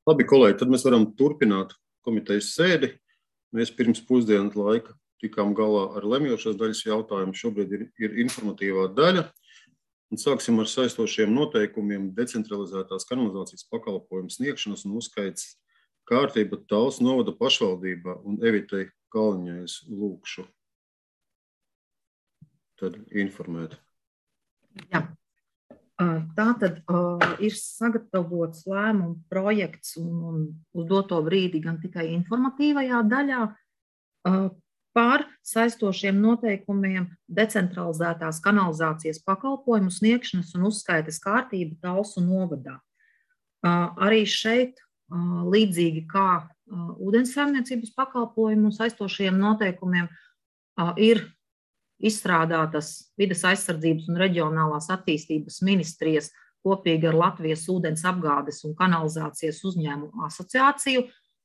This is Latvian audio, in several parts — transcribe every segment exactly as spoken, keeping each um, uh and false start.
Labi, kolēģi, tad mēs varam turpināt komitejas sēdi. Mēs pirms pusdienas laika tikām galā ar lemjošās daļas jautājumu. Šobrīd ir, ir informatīvā daļa. Un sāksim ar saistošiem noteikumiem decentralizētās kanalizācijas pakalpojumu sniegšanas un uzskaits kārtība Talsu novada pašvaldībā un Evitei Kalniņai es lūkšu tad informēt. Jā. Tātad uh, ir sagatavots lēmumu projekts un, un uz doto brīdi gan tikai informatīvajā daļā uh, par saistošiem noteikumiem decentralizētās kanalizācijas pakalpojumu sniegšanas un uzskaites kārtība Talsu novadā. Uh, arī šeit, uh, līdzīgi kā uh, ūdenssaimniecības pakalpojumu un saistošiem noteikumiem, uh, ir izstrādātas Vides aizsardzības un reģionālās attīstības ministrijas kopīgi ar Latvijas ūdens apgādes un kanalizācijas uzņēmumu asociāciju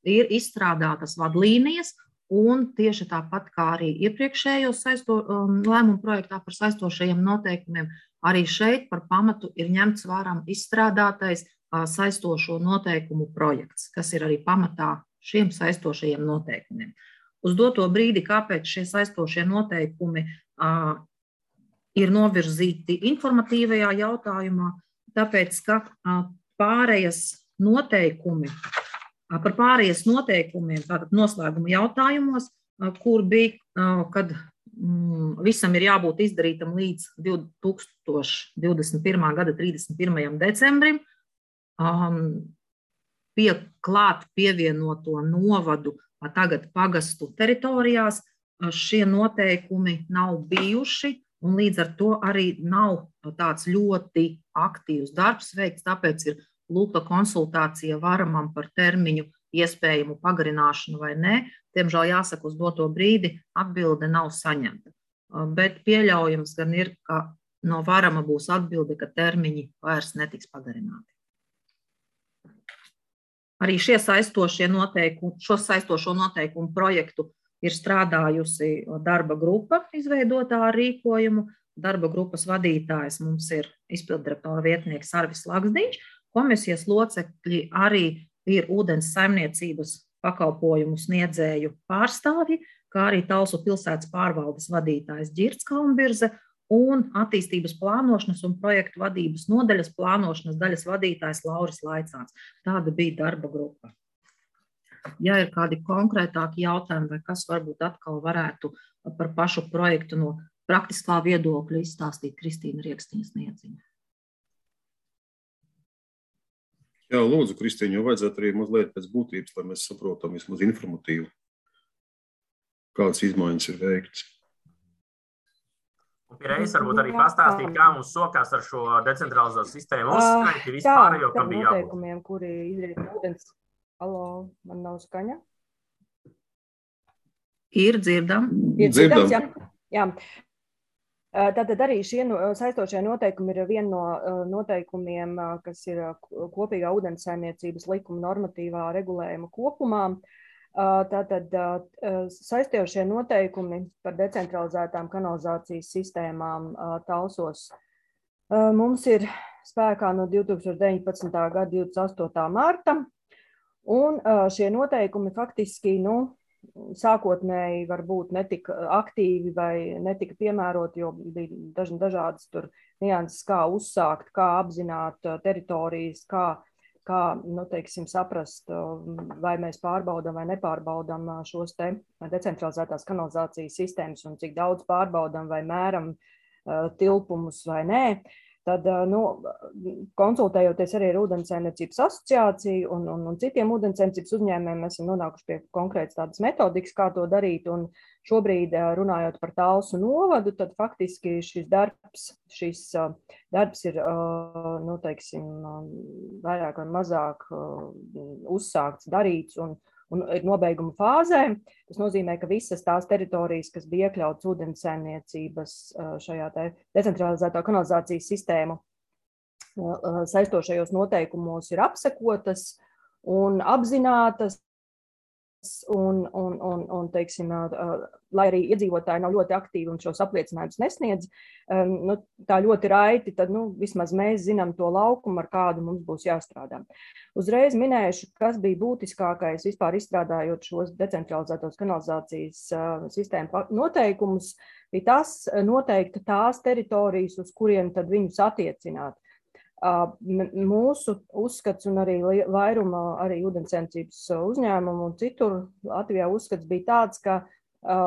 ir izstrādātas vadlīnijas, un tieši tāpat kā arī iepriekšējos saisto, um, lēmumu projektā par saistošajiem noteikumiem, arī šeit par pamatu ir ņemts vērā izstrādātais uh, saistošo noteikumu projekts, kas ir arī pamatā šiem saistošajiem noteikumiem. Uz doto brīdi, kāpēc šie saistošie noteikumi uh, ir novirzīti informatīvajā jautājumā, tāpēc, ka uh, pārējas noteikumi, uh, par pārējas noteikumiem, tātad noslēguma jautājumos, uh, kur bija, uh, kad um, visam ir jābūt izdarītam līdz divi tūkstoši divdesmit pirmā gada trīsdesmit pirmajam decembrim, um, pie klāt pievienoto novadu tagad pagastu teritorijās, šie noteikumi nav bijuši, un līdz ar to arī nav tāds ļoti aktīvs darbs veikts, tāpēc ir lūgta konsultācija varamam par termiņu iespējamu pagarināšanu vai nē. Diemžēl jāsaka, uz doto brīdi atbilde nav saņemta. Bet pieļaujams gan ir, ka no varama būs atbilde, ka termiņi vairs netiks pagarināti. Arī šie saistošie noteikumi, šo saistošo noteikumu projektu ir strādājusi darba grupa, izveidotā ar rīkojumu. Darba grupas vadītājs mums ir izpilddirektora vietnieks Arvis Laksdiņš. Komisijas locekļi arī ir ūdens saimniecības pakalpojumu sniedzēju pārstāvji, kā arī Talsu pilsētas pārvaldes vadītājs Ģirds Kalnbirze un attīstības plānošanas un projektu vadības nodaļas plānošanas daļas vadītājs Lauris Laicāns. Tāda bija darba grupa. Ja ir kādi konkrētāki jautājumi vai kas varbūt atkal varētu par pašu projektu no praktiskā viedokļa izstāstīt Kristīna Riekstiņa-Sniedziņa. Jā, lūdzu, Kristīņa, jo vajadzētu arī mazliet pēc būtības, lai mēs saprotam vismaz informatīvu, kādas izmaiņas ir veikts. Un pierreiz varbūt arī pastāstīt, kā mums sokās ar šo decentralizēto sistēmu uzskaiti vispār, jo kam bija jābūt. Noteikumiem, kuri izdarīt ūdens. Alo, man nav skaņa? Ir dzirdam. Ir dzirdams, jā. jā. Tātad arī šie saistošie noteikumi ir viena no noteikumiem, kas ir kopīgā ūdenssaimniecības likuma normatīvā regulējuma kopumā. Tātad saistošie noteikumi par decentralizētām kanalizācijas sistēmām Talsos mums ir spēkā no divi tūkstoši deviņpadsmitā gada divdesmit astotā marta, un šie noteikumi faktiski, nu, sākotnēji varbūt netika aktīvi vai netika piemēroti, jo bija daž, dažādas tur nianses, kā uzsākt, kā apzināt teritorijas, kā kā, nu, teiksim, saprast, vai mēs pārbaudam vai nepārbaudam šos te decentralizētās kanalizācijas sistēmas un cik daudz pārbaudam vai mēram uh, tilpumus vai nē. Tad, uh, nu, konsultējoties arī ar ūdenssaimniecības asociāciju un, un, un citiem ūdenssaimniecības uzņēmējiem, mēs esam nonākuši pie konkrētas tādas metodikas, kā to darīt. Un šobrīd, uh, runājot par Talsu novadu, tad faktiski šis darbs, šis uh, darbs ir, uh, nu, teiksim, uh, vairāk vai mazāk uh, uzsākts, darīts un, un ir nobeiguma fāzē. Tas nozīmē, ka visas tās teritorijas, kas bija iekļautas ūdenssaimniecības uh, šajā te decentralizētā kanalizācijas sistēmu uh, saistošajos noteikumos ir apsekotas un apzinātas. un, un, un, un teiksim, lai arī iedzīvotāji nav ļoti aktīvi un šos apliecinājumus nesniedz, nu, tā ļoti raiti, tad nu, vismaz mēs zinām to laukumu, ar kādu mums būs jāstrādā. Uzreiz minēšu, kas bija būtiskākais vispār izstrādājot šos decentralizētos kanalizācijas sistēmu noteikumus, bija tas noteikti tās teritorijas, uz kuriem tad viņus attiecināt. Mūsu uzskats un arī vairuma arī ūdenssaimniecības uzņēmumu un citur Latvijā uzskats bija tāds, ka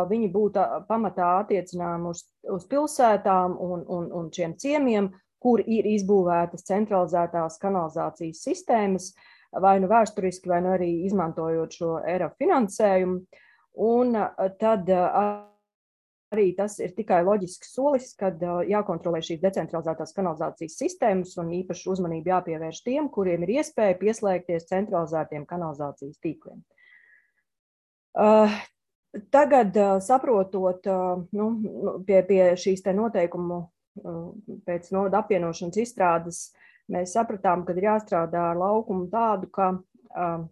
viņi būtu pamatā attiecinājumi uz, uz pilsētām un, un, un šiem ciemiem, kur ir izbūvētas centralizētās kanalizācijas sistēmas, vai nu vēsturiski, vai nu arī izmantojot šo E R A finansējumu. Un tad arī tas ir tikai loģisks solis, kad jākontrolē šīs decentralizētās kanalizācijas sistēmas un īpaši uzmanību jāpievērš tiem, kuriem ir iespēja pieslēgties centralizētiem kanalizācijas tīkliem. Tagad, saprotot nu, pie, pie šīs te noteikumu pēc novada apvienošanas izstrādes, mēs sapratām, ka ir jāstrādā ar laukumu tādu, ka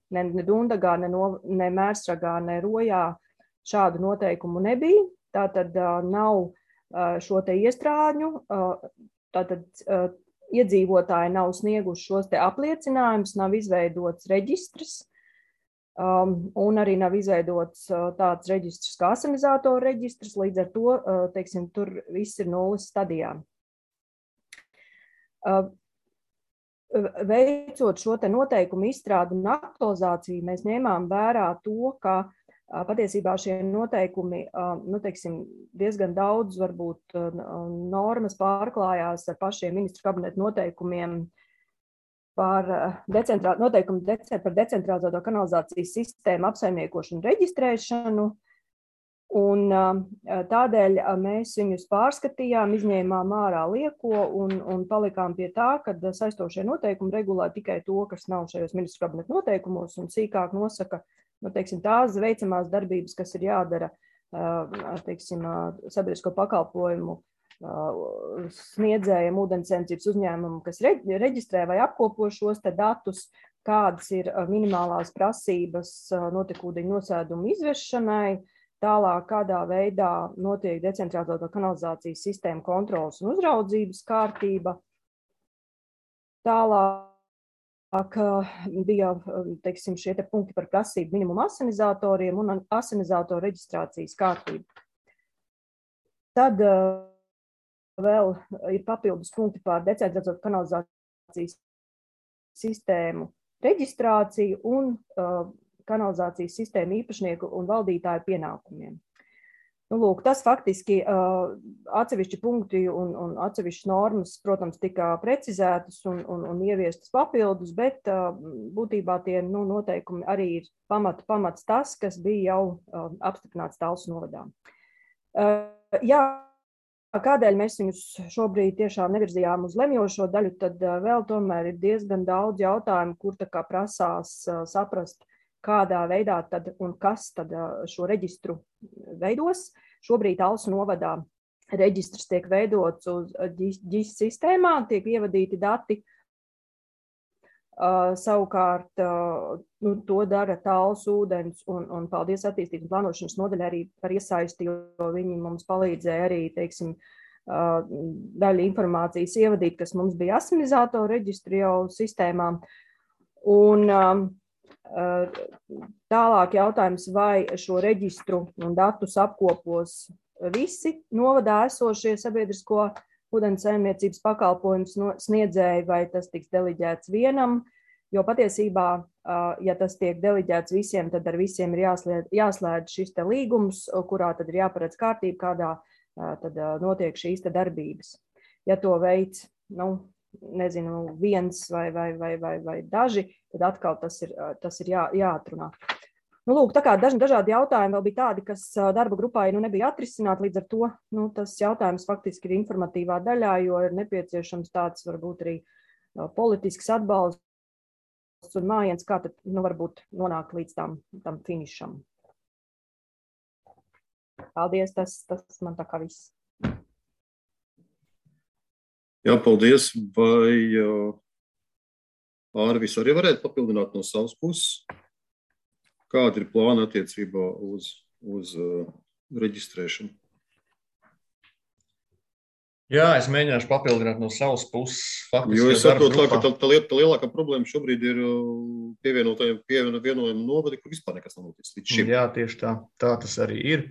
ne, ne Dundagā, ne, no, ne Mērsragā, ne Rojā šādu noteikumu nebija. Tātad nav šo te iestrādņu, tātad iedzīvotāji nav snieguši šos te apliecinājumus, nav izveidots reģistrs un arī nav izveidots tāds reģistrs kā asinizātoru reģistrs, līdz ar to, teiksim, tur viss ir nulles stadijā. Veicot šo te noteikumu izstrādi un aktualizāciju, mēs ņēmām vērā to, ka patiesībā šie noteikumi, nu, teiksim, diezgan daudz varbūt normas pārklājās ar pašiem ministru kabineta noteikumiem par, decentrā, noteikumu dece, par decentralizēto kanalizācijas sistēmu apsaimniekošanu un reģistrēšanu. Un tādēļ mēs viņus pārskatījām, izņēmām ārā lieko un, un palikām pie tā, ka saistošie noteikumi regulē tikai to, kas nav šajos ministru kabineta noteikumos un sīkāk nosaka, nu, teiksim, tās veicamās darbības, kas ir jādara, teiksim, sabiedrisko pakalpojumu sniedzējiem, ūdenssaimniecības uzņēmumu, kas reģistrē vai apkopo šos te datus, kādas ir minimālās prasības notekūdeņu nosēdumu izvešanai, tālāk kādā veidā notiek decentralizēto kanalizācijas sistēmu kontrolas un uzraudzības kārtība. Tālāk bija, teiksim, šie te punkti par prasību minimumu asinizatoriem un asinizatoru reģistrācijas kārtību. Tad vēl ir papildus punkti par decentralizēto kanalizācijas sistēmu reģistrāciju un kanalizācijas sistēmu īpašnieku un valdītāju pienākumiem. Nu, lūk, tas faktiski uh, atsevišķi punkti un, un atsevišķas normas, protams, tika precizētas un, un, un ieviestas papildus, bet uh, būtībā tie nu, noteikumi arī ir pamat, pamats tas, kas bija jau uh, apstiprināts Talsu novadā. Uh, jā, kādēļ mēs viņus šobrīd tiešām nevirzījām uz lemjošo daļu, tad uh, vēl tomēr ir diezgan daudz jautājumu, kur tā kā prasās uh, saprast, kādā veidā tad un kas tad šo reģistru veidos. Šobrīd Talsu novadā reģistrs tiek veidots uz ģi ģi sistēmā, tiek ievadīti dati. Uh, savukārt, uh, nu, to dara Talsu ūdens un, un paldies attīstības plānošanas nodaļai arī par iesaisti, jo viņi mums palīdzēja arī, teiksim, uh, daļu informācijas ievadīt, kas mums bija asinizātoru reģistri jau sistēmā. Un, um, tālāk jautājums, vai šo reģistru un datus apkopos visi novadā esošie sabiedrisko ūdenssaimniecības pakalpojumu sniedzēji, vai tas tiks deliģēts vienam, jo patiesībā, ja tas tiek deliģēts visiem, tad ar visiem ir jāslēdz, jāslēdz šis te līgums, kurā tad ir jāparedz kārtība, kādā tad notiek šīs te darbības. Ja to veids, nu, nezinu, viens vai, vai, vai, vai, vai daži, tad atkal tas ir, tas ir jā, jāatrunā. Nu, lūk, tā kā daži, dažādi jautājumi vēl bija tādi, kas darba grupā nu, nebija atrisināti, līdz ar to nu, tas jautājums faktiski ir informatīvā daļā, jo ir nepieciešams tāds varbūt arī politisks atbalsts un mājiens, kā tad nu, varbūt nonākt līdz tam, tam finišam. Paldies, tas, tas man tā kā viss. Jā, paldies. Vai uh, Ārvis arī varētu papildināt no savas puses? kāda ir plāna attiecībā uz, uz uh, reģistrēšanu? Jā, es mēģināšu papildināt no savas puses. Faktiski, jo es saprotu, tā, ka tā, tā, tā lielākā problēma šobrīd ir pievienotajiem pievienojumu novadi, kur vispār nekas nav noticis līdz šim. Jā, tieši tā. Tā tas arī ir.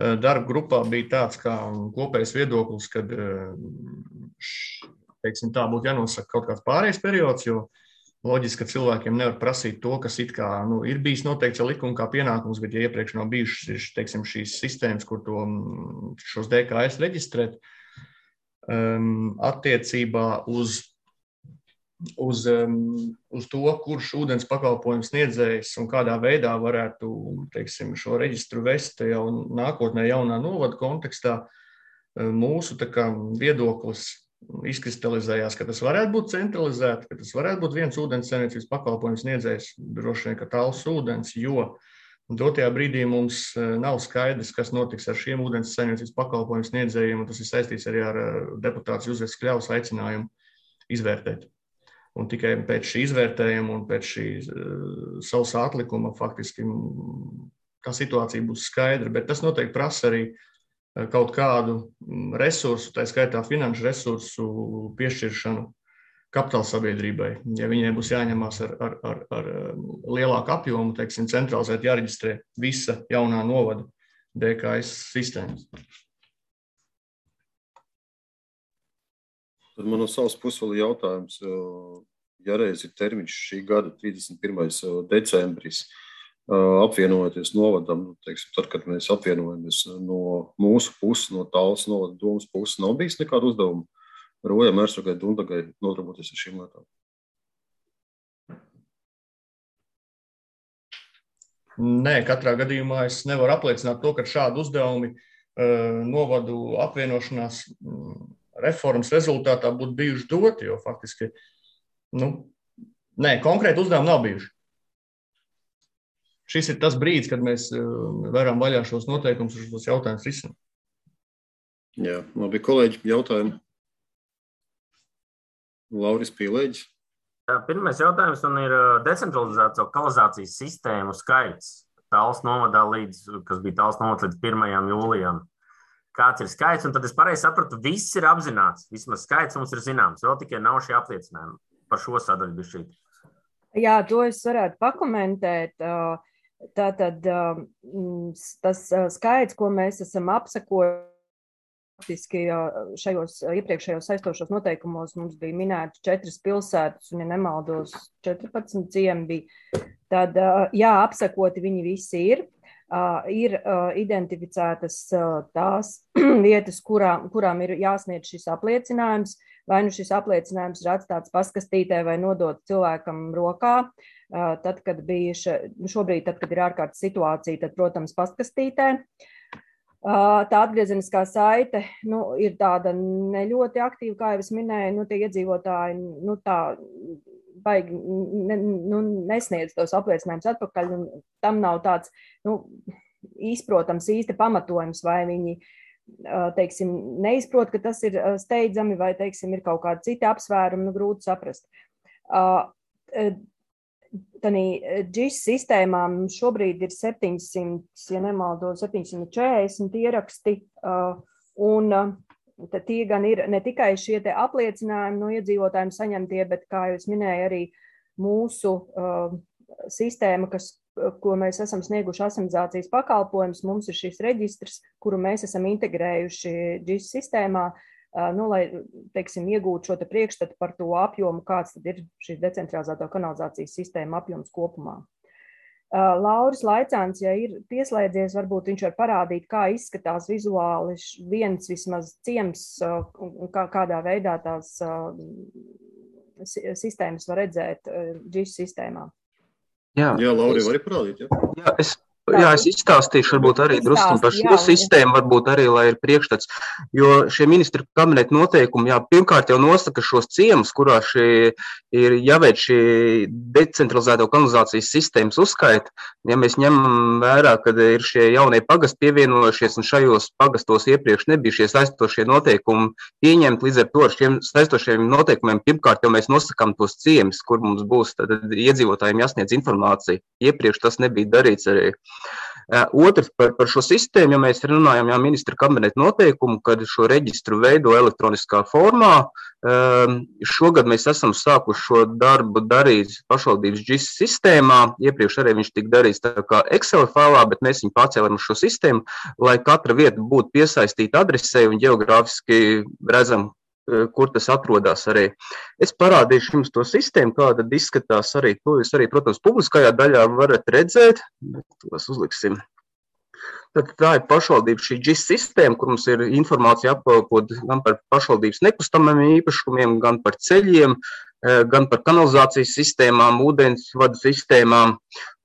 Darba grupā bija tāds kā kopējs viedoklis, kad, teiksim, tā būtu jānosaka kaut kāds pārējais periods, jo loģiski, ka cilvēkiem nevar prasīt to, kas it kā, nu, ir bijis noteikts ar likumu kā pienākums, bet ja iepriekš nav bijušas, teiksim, šīs sistēmas, kur to, šos D K S reģistrēt, Um, attiecībā uz, uz, um, uz to, kurš ūdens pakalpojums sniedzējs un kādā veidā varētu, teiksim, šo reģistru vest jau nākotnē jaunā novada kontekstā, mūsu tā kā viedoklis izkristalizējās, ka tas varētu būt centralizēti, ka tas varētu būt viens ūdens saimniecības pakalpojums sniedzējs, droši vien, ka tāls ūdens, jo dotajā brīdī mums nav skaidrs, kas notiks ar šiem ūdens saimniecības pakalpojumu sniedzējiem, un tas ir saistīts arī ar deputāts Juzefs Kļavas aicinājumu izvērtēt. Un tikai pēc šī izvērtējuma un pēc šī uh, sausā atlikuma faktiski tā situācija būs skaidra, bet tas noteikti prasa arī kaut kādu resursu, tā skaitā finanšu resursu piešķiršanu kapitāla sabiedrībai, ja viņiem būs jāņemās ar, ar, ar, ar lielāku apjomu, teiksim, centralizēt jāreģistrē visa jaunā novada D K S sistēmas. Tad man no savas puses vēl jautājums, ja reiz ir termiņš šī gada trīsdesmit pirmais decembris, apvienojoties novadam, teiksim, tad, kad mēs apvienojamies no mūsu puses, no Tallas novada domas puses, nav bijis nekādu uzdevumu Rojam, Ērsagai, Dundagai nodarboties ar šīm lietām? Nē, katrā gadījumā es nevaru apliecināt to, ka šādi uzdevumi uh, novadu apvienošanās um, reformas rezultātā būtu bijuši doti, jo faktiski, nu, nē, konkrēti uzdevumi nav bijuši. Šis ir tas brīdis, kad mēs uh, varam vaļā šos noteikumus un šos jautājumus risināt. Jā, labi, kolēģi, jautājumi. Lauris Pīlēģis. Pirmais jautājums man ir decentralizēto kanalizācijas sistēmu skaits Tallas novadā līdz, kas bija Tallas novads līdz pirmajam jūlijam. Kāds ir skaits? Un tad es pareizi sapratu, viss ir apzināts. Vismaz skaits mums ir zināms. Vēl tikai nav šie apliecinājumi par šo sadaļu bišķīt. Jā, to es varētu pakomentēt. Tātad tas skaits, ko mēs esam apsakojuši, faktiski šajos iepriekšējos saistošos noteikumos mums bija minēti četras pilsētas, un, ja nemaldos, četrpadsmit ciemi bija. Tad, jā, apsakoti viņi visi ir. Ir identificētas tās vietas, kurām, kurām ir jāsniedz šis apliecinājums, vai nu šis apliecinājums ir atstāts paskastītē vai nodot cilvēkam rokā. Tad, kad bija šobrīd, tad, kad ir ārkārtas situācija, tad, protams, paskastītē. Tā atgriezeniskā saite, nu, ir tāda ne ļoti aktīva, kā jau es minēju, nu, tie iedzīvotāji, nu, tā baigi, ne, nu, nesniedz tos apliecinājumus atpakaļ, un tam nav tāds, nu, izprotams īsti pamatojums, vai viņi, teiksim, neizprot, ka tas ir steidzami, vai, teiksim, ir kaut kādi citi apsvērumi, nu, grūti saprast. Tanī G I S sistēmām šobrīd ir septiņsimt, ja nemaldos, septiņsimt četrdesmit ieraksti, un tad tie gan ir ne tikai šie te apliecinājumi no iedzīvotājiem saņemtie, bet, kā jau es minēju, arī mūsu sistēma, kas, ko mēs esam snieguši asimilācijas pakalpojumus, mums ir šis reģistrs, kuru mēs esam integrējuši G I S sistēmā, nu, lai, teiksim, iegūtu šo te priekšstatu par to apjomu, kāds tad ir šīs decentralizēto kanalizācijas sistēma apjoms kopumā. Lauris Laicāns, ja ir pieslēdzies, varbūt viņš var parādīt, kā izskatās vizuāli viens vismaz ciems un kā, kādā veidā tās sistēmas var redzēt G I S sistēmā. Jā, jā Lauri, var parādīt, jā? Jā, es Jā, es izstāstīšu varbūt arī drusku par šo sistēmu, varbūt arī, lai ir priekšstats, jo šie ministru kabineta noteikumi, jā, pirmkārt jau nosaka šos ciemus, kurā šie ir jāveic šī decentralizēto kanalizācijas sistēmas uzskaita. Ja mēs ņemam vērā, kad ir šie jaunie pagasti pievienojušies un šajos pagastos iepriekš nebija šie saistošie noteikumi pieņemt, līdz ar to ar šiem saistošiem noteikumiem pirmkārt jau mēs nosakām tos ciemus, kur mums būs tad iedzīvotājiem jāsniedz informācija. Iepriekš tas nebija darīts arī. Otrs par, par šo sistēmu, ja mēs runājam, jā, ministra kabineta noteikumu, kad šo reģistru veido elektroniskā formā. Šogad mēs esam sākuši šo darbu darīt pašvaldības G I S sistēmā. Iepriekš arī viņš tika darīts tā kā Excel failā, bet mēs viņu pārcēlām uz šo sistēmu, lai katra vieta būtu piesaistīta adresei un ģeogrāfiski redzam, kur tas atrodas arī. Es parādīšu jums to sistēmu, kāda izskatās arī. To jūs arī, protams, publiskajā daļā varat redzēt. Tos uzliksim. Tad tā ir pašvaldības šī G I S sistēma, kur mums ir informācija apkopot gan par pašvaldības nekustamiem īpašumiem, gan par ceļiem, gan par kanalizācijas sistēmām, ūdensvadu sistēmām.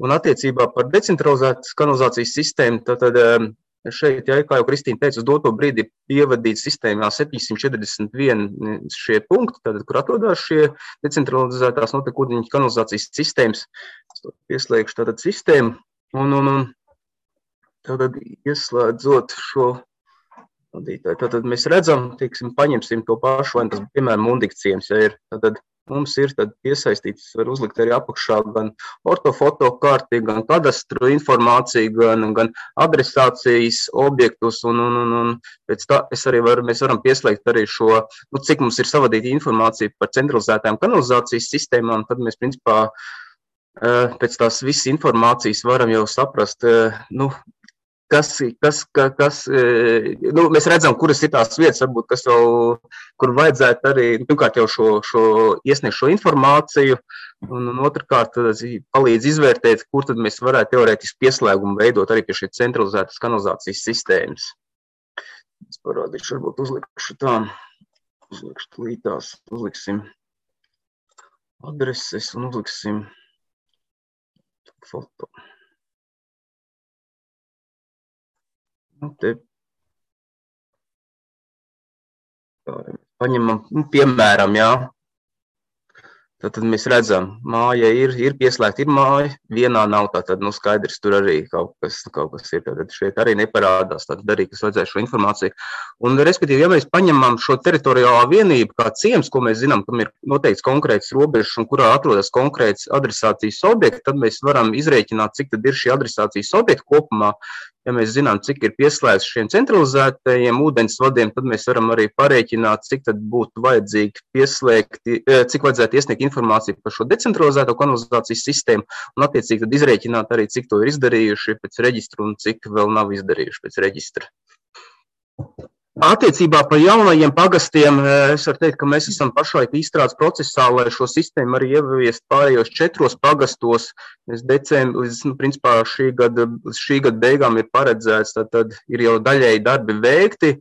Un attiecībā par decentralizētas kanalizācijas sistēmu, tad, tad šeit, ja, kā jau Kristīna teica, uz doto brīdi ievadīt sistēmā septiņsimt četrdesmit vieni šie punkti, tad, kur atrodās šie decentralizētās notekūdeņu kanalizācijas sistēmas. Es to pieslēgšu tātad sistēmu un, un, un tātad ieslēdzot šo vadītāju. Tātad mēs redzam, teiksim, paņemsim to pašu, vai tas, piemēram, Mundikciems, ja ir, tātad mums ir tad piesaistīts, var uzlikt arī apakšā gan ortofoto karti, gan kadastru informāciju, gan, gan adresācijas objektus, un, un, un, un pēc tā es arī varu, mēs varam pieslēgt arī šo, nu, cik mums ir savadīta informācija par centralizētām kanalizācijas sistēmām, tad mēs, principā, pēc tās visas informācijas varam jau saprast, nu, Kas, kas, kas, nu, mēs redzam, kuras ir tās vietas, varbūt, kas vēl, kur vajadzētu arī, nu, pirmkārt jau šo, šo iesniegt šo informāciju, un, un otrkārt palīdz izvērtēt, kur tad mēs varētu teorētiski pieslēgumu veidot arī pie šī centralizētas kanalizācijas sistēmas. Es parādīšu, varbūt uzlikšu tā, uzlikšu lītās, uzliksim adreses un uzliksim foto. Nu, te paņemam, nu, piemēram, jā. Tad mēs redzam, māja ir, ir pieslēgta, ir māja, vienā nav, tātad, nu, skaidrs, tur arī kaut kas, kaut kas ir, tātad šeit arī neparādās, tātad arī, kas vajadzēja šo informāciju. Un, respektīvi, ja mēs paņemam šo teritoriālā vienību kā ciems, ko mēs zinām, kam ir noteikts konkrēts robežs un kurā atrodas konkrēts adresācijas objekts, tad mēs varam izrēķināt, cik tad ir šī adresācijas objekta kopumā. Ja mēs zinām, cik ir pieslēgts šiem centralizētajiem ūdensvadiem, tad mēs varam arī parēķināt, cik tad būtu vajadzīgi pieslēgt, cik vajadzētu iesniegt informāciju par šo decentralizēto kanalizācijas sistēmu un attiecīgi tad izrēķināt arī, cik to ir izdarījuši pēc reģistra un cik vēl nav izdarījuši pēc reģistra. Attiecībā par jaunajiem pagastiem es varu teikt, ka mēs esam pašlaik izstrādes procesā, lai šo sistēmu arī ieviest pārējos četros pagastos. Decembris, līdz, nu, principā šī gada, šī gada beigām ir paredzēts, tad, tad ir jau daļēji darbi veikti.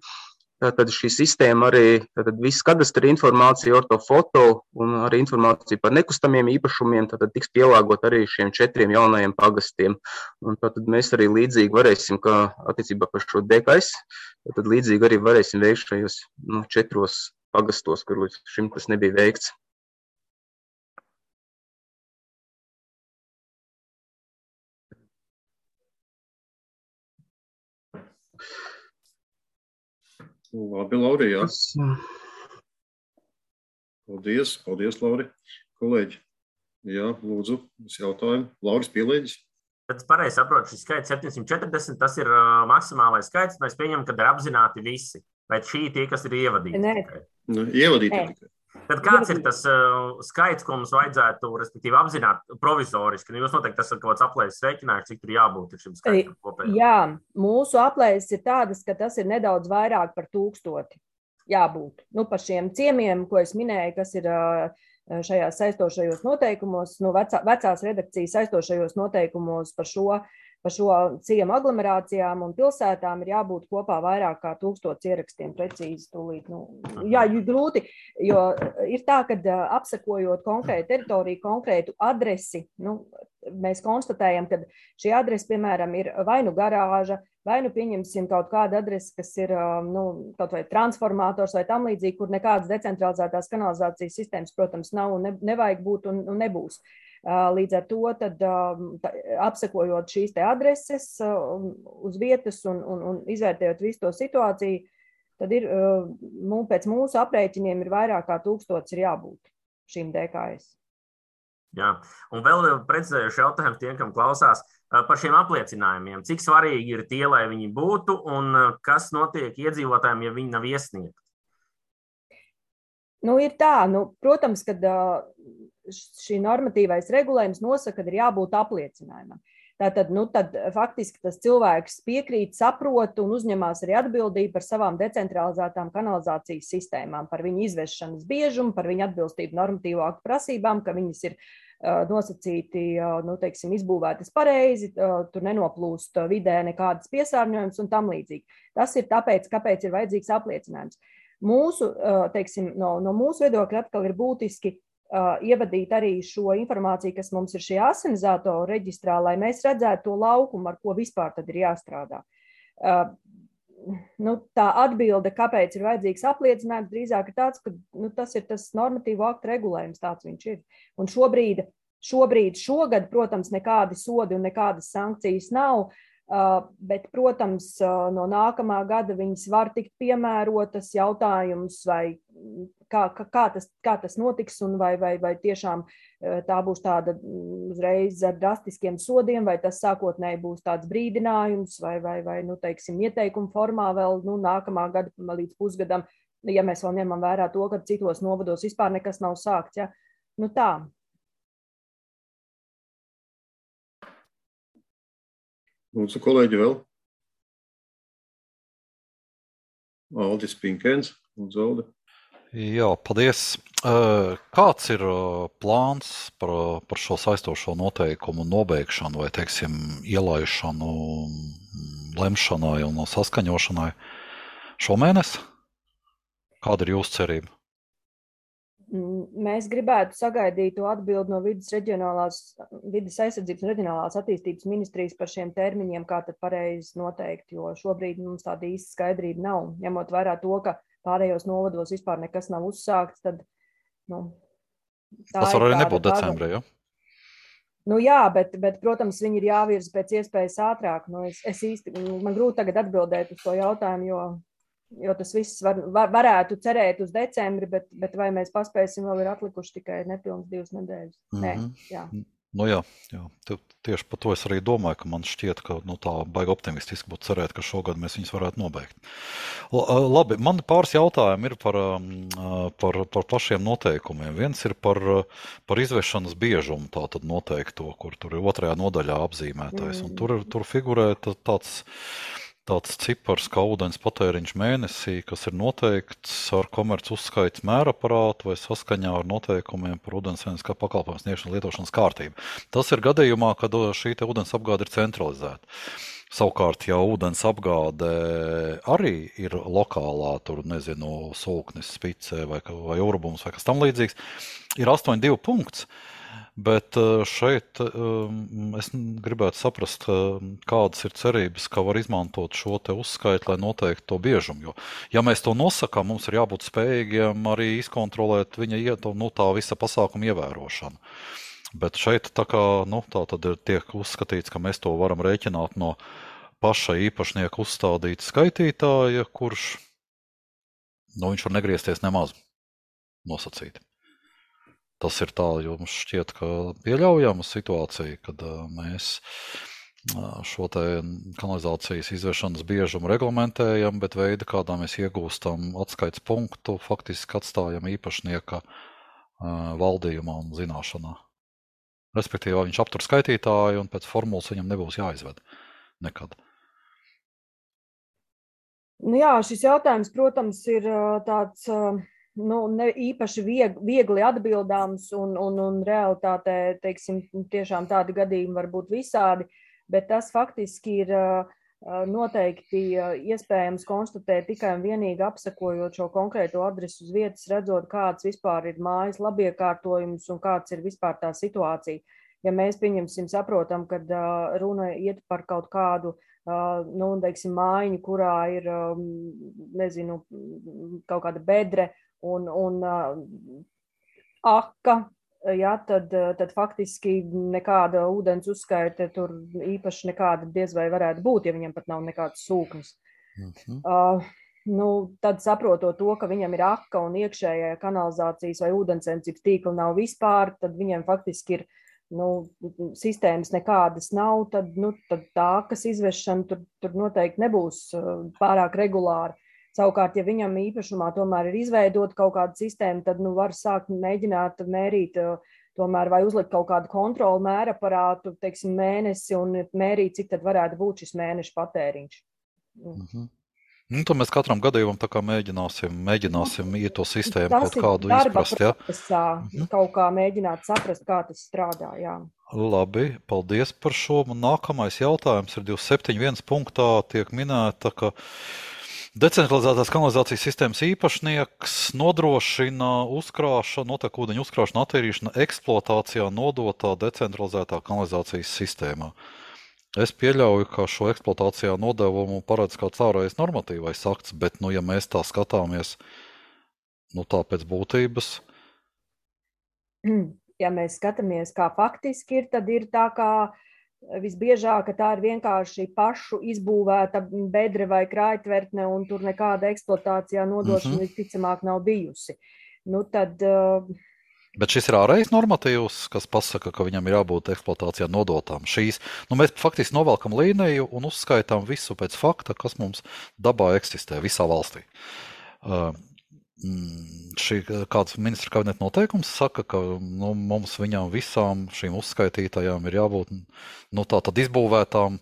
Tad šī sistēma arī, tad viss kadastra informācija, ortofoto un arī informācija par nekustamiem īpašumiem, tad tiks pielāgot arī šiem četriem jaunajiem pagastiem. Un tad mēs arī līdzīgi varēsim, kā attiecībā par šo D K S, tad līdzīgi arī varēsim veikt šajos, nu, četros pagastos, kur līdz šim tas nebija veikts. Labi, Lauri, jā. Paldies, paldies, Lauri. Kolēģi, jā, lūdzu, uz jautājumu. Lauris pielēģis. Tad es pareizi saprotu, šis skaits septiņsimt četrdesmit, tas ir uh, maksimālais skaits, mēs pieņemam, kad ir apzināti visi. Vai šī tie, kas ir ievadīti? Nē. Nu, ievadīti Nē. tikai. Tad kāds ir tas uh, skaits, ko mums vajadzētu, respektīvi, apzināt provizoriski? Nu, jūs noteikti tas ir kaut kāds aplēses rēķinājums, cik tur jābūt šim skaitam kopējā. Jā, mūsu aplēses ir tādas, ka tas ir nedaudz vairāk par tūkstoti jābūt. Nu, par šiem ciemiem, ko es minēju, kas ir uh, šajās saistošajos noteikumos, nu, vecā, vecās redakcijas saistošajos noteikumos par šo, par šo ciemu aglomerācijām un pilsētām ir jābūt kopā vairāk kā tūkstots ierakstiem precīzi tūlīt. Nu, jā, grūti, jo ir tā, ka apsekojot konkrētu teritoriju, konkrētu adresi, nu, mēs konstatējam, ka šī adrese, piemēram, ir vai nu garāža, vai nu pieņemsim kaut kādu adresi, kas ir nu, kaut vai transformators vai tam līdzīgi, kur nekādas decentralizētās kanalizācijas sistēmas, protams, nav un ne, nevajag būt un, un nebūs. Līdz ar to, tad, tā, apsekojot šīs te adreses uz vietas un, un, un izvērtējot visu to situāciju, tad ir, pēc mūsu aprēķiniem ir vairāk kā tūkstots ir jābūt šīm D K S. Jā, un vēl precizējuši jautājumu tiem, kam klausās par šiem apliecinājumiem. Cik svarīgi ir tie, lai viņi būtu, un kas notiek iedzīvotājiem, ja viņi nav iesniegti? Nu, ir tā, nu, protams, kad šī normatīvais regulējums nosaka, ka ir jābūt apliecinājumam. Tātad, nu, tad faktiski tas cilvēks piekrīt, saprot un uzņemās arī atbildību par savām decentralizētām kanalizācijas sistēmām, par viņu izvešanas biežumu, par viņu atbilstību normatīvo aktu prasībām, ka viņas ir uh, nosacīti, uh, nu, teiksim, izbūvētas pareizi, uh, tur nenoplūst vidē nekādas piesārņojums un tam līdzīgi. Tas ir tāpēc, kāpēc ir vajadzīgs apliecinājums. Mūsu, uh, teiksim, no, no mūsu viedokļa atkal ir būtiski Uh, ievadīt arī šo informāciju, kas mums ir šajā asinizatoru reģistrā, lai mēs redzētu to laukumu, ar ko vispār tad ir jāstrādā. Uh, nu, tā atbilde, kāpēc ir vajadzīgs apliecinājums, drīzāk ir tāds, ka nu, tas ir tas normatīvo aktu regulējums, tāds viņš ir. Un šobrīd, šobrīd šogad, protams, nekādi sodi un nekādas sankcijas nav, uh, bet, protams, uh, no nākamā gada viņas var tikt piemērotas jautājums vai Kā, kā, tas, kā tas notiks un vai, vai, vai tiešām tā būs tāda uzreiz ar drastiskiem sodiem, vai tas sākotnēji būs tāds brīdinājums vai, vai, vai nu, teiksim, ieteikumu formā vēl nu, nākamā gada līdz pusgadam, ja mēs vēl ņemam vērā to, ka citos novados vispār nekas nav sākts. Ja? Nu tā. Lūdzu, kolēģi vēl. Aldis Pinkēns. Lūdzu, Aldi. Jā, paldies. Kāds ir plāns par, par šo saistošo noteikumu nobeigšanu vai, teiksim, ielaišanu, lemšanai un saskaņošanai šomēnes? Kāda ir jūsu cerība? Mēs gribētu sagaidīt to atbildi no vidas, reģionālās, vidas aizsardzības un reģionālās attīstības ministrijas par šiem termiņiem, kā tad pareizi noteikti, jo šobrīd mums tāda īsta skaidrība nav, ņemot vērā to, ka pārējos novados vispār nekas nav uzsākts, tad, nu, tā tas var arī tāda, nebūt decembrī, jo? Nu jā, bet, bet, protams, viņi ir jāvirza pēc iespējas ātrāk. Nu, es, es īsti, man grūti tagad atbildēt uz to jautājumu, jo, jo tas viss var, var, varētu cerēt uz decembri, bet, bet vai mēs paspēsim, vēl ir atlikuši tikai nepilnas divas nedēļas. Mm-hmm. Nē, jā. Nu jā, jā, tieši par to es arī domāju, ka man šķiet, ka nu, tā baigi optimistiski būtu cerēt, ka šogad mēs viņus varētu nobeigt. Labi, man pāris jautājumi ir par, par, par pašiem noteikumiem. Viens ir par, par izvešanas biežumu, tātad noteikto, kur tur ir otrajā nodaļā apzīmētais. Un tur, tur figurē tāds, tāds cipars, kā ūdens patēriņš mēnesī, kas ir noteikts ar komerc uzskaits mēraparātu vai saskaņā ar noteikumiem par ūdensveidas kā pakalpojumu sniegšanas lietošanas kārtību. Tas ir gadījumā, kad šī te ūdens apgāde ir centralizēta. Savukārt, ja ūdens apgāde arī ir lokālā, tur, nezinu, Sulknis, Spicē vai, vai Urbums vai kas tam līdzīgs, ir astoņi divi punkts. Bet šeit es gribētu saprast, kādas ir cerības, ka var izmantot šo te uzskaitu, lai noteikti to biežumu. Jo, ja mēs to nosakām, mums ir jābūt spējīgiem arī izkontrolēt viņa nu, tā visa pasākuma ievērošanu. Bet šeit tā kā, nu, tā tad ir tiek uzskatīts, ka mēs to varam rēķināt no paša īpašnieka uzstādīta skaitītāja, kurš, nu, viņš var negriezties nemaz nosacīt. Tas ir tā, jo mums šķiet, ka pieļaujama situācija, kad mēs šo te kanalizācijas izvešanas biežumu reglamentējam, bet veidi, kādā mēs iegūstam atskaits punktu, faktiski atstājam īpašnieka valdījumā un zināšanā. Respektīvi, viņš aptur skaitītāju un pēc formulas viņam nebūs jāizved nekad. Nu jā, šis jautājums, protams, ir tāds... Nu, ne īpaši vieg, viegli atbildāms un, un, un realitātē, teiksim, tiešām tādi gadījumi var būt visādi, bet tas faktiski ir noteikti iespējams konstatēt tikai un vienīgi apsekojot šo konkrēto adresu uz vietas, redzot, kāds vispār ir mājas labiekārtojums un kāds ir vispār tā situācija. ja mēs pieņemsim, saprotam, kad uh, runa iet par kaut kādu uh, nu, teiksim, mājiņu, kurā ir, um, nezinu, kaut kāda bedre un, un uh, aka, ja, tad, tad faktiski nekāda ūdens uzskaite tur īpaši nekāda diez vai varētu būt, ja viņam pat nav nekāds sūknis. Mhm. Uh, nu, tad saprotot to, ka viņam ir aka un iekšējā kanalizācijas vai ūdensensības tīkla nav vispār, tad viņam faktiski ir nu, sistēmas nekādas nav, tad, nu, tad tā, kas izvešana tur, tur noteikti nebūs pārāk regulāri. Savukārt, ja viņam īpašumā tomēr ir izveidota kaut kāda sistēma, tad nu, var sākt mēģināt mērīt tomēr vai uzlikt kaut kādu kontrolu mēraparātu, teiksim, mēnesi un mērīt, cik tad varētu būt šis mēneša patēriņš. Mhm. Nu, tad mēs katram gadījumam tā kā mēģināsim, mēģināsim iet to sistēmu tas kaut kādu izprast, ja? Procesā, mhm. kaut kā mēģināt saprast, kā tas strādā, jā. Labi, paldies par šo. Nākamais jautājums ir divdesmit septiņi viens punktā tiek minēta, ka decentralizētās kanalizācijas sistēmas īpašnieks nodrošina uzkrāšanu, notekūdeņu uzkrāšanu, attīrīšanu eksploatācijā nodotā decentralizētā kanalizācijas sistēmā. Es pieļauju, ka šo eksploatācijā nodevumu paredz kāds ārējais normatīvais akts, bet, nu, ja mēs tā skatāmies, nu, tā pēc būtības. Ja mēs skatāmies, kā faktiski ir, tad ir tā kā visbiežāk, ka tā ir vienkārši pašu izbūvēta bedre vai krājtvertne, un tur nekāda eksploatācijā nodošana mm-hmm. visticamāk nav bijusi. Nu, tad, uh... Bet šis ir ārējais normatīvs, kas pasaka, ka viņam ir jābūt eksploatācijā nodotām. Šīs, nu, mēs faktiski novelkam līniju un uzskaitām visu pēc fakta, kas mums dabā eksistē visā valstī. Uh, Šī, kāds ministra kabineta noteikums saka, ka nu, mums viņām visām šīm uzskaitītajām ir jābūt nu, tā tad izbūvētām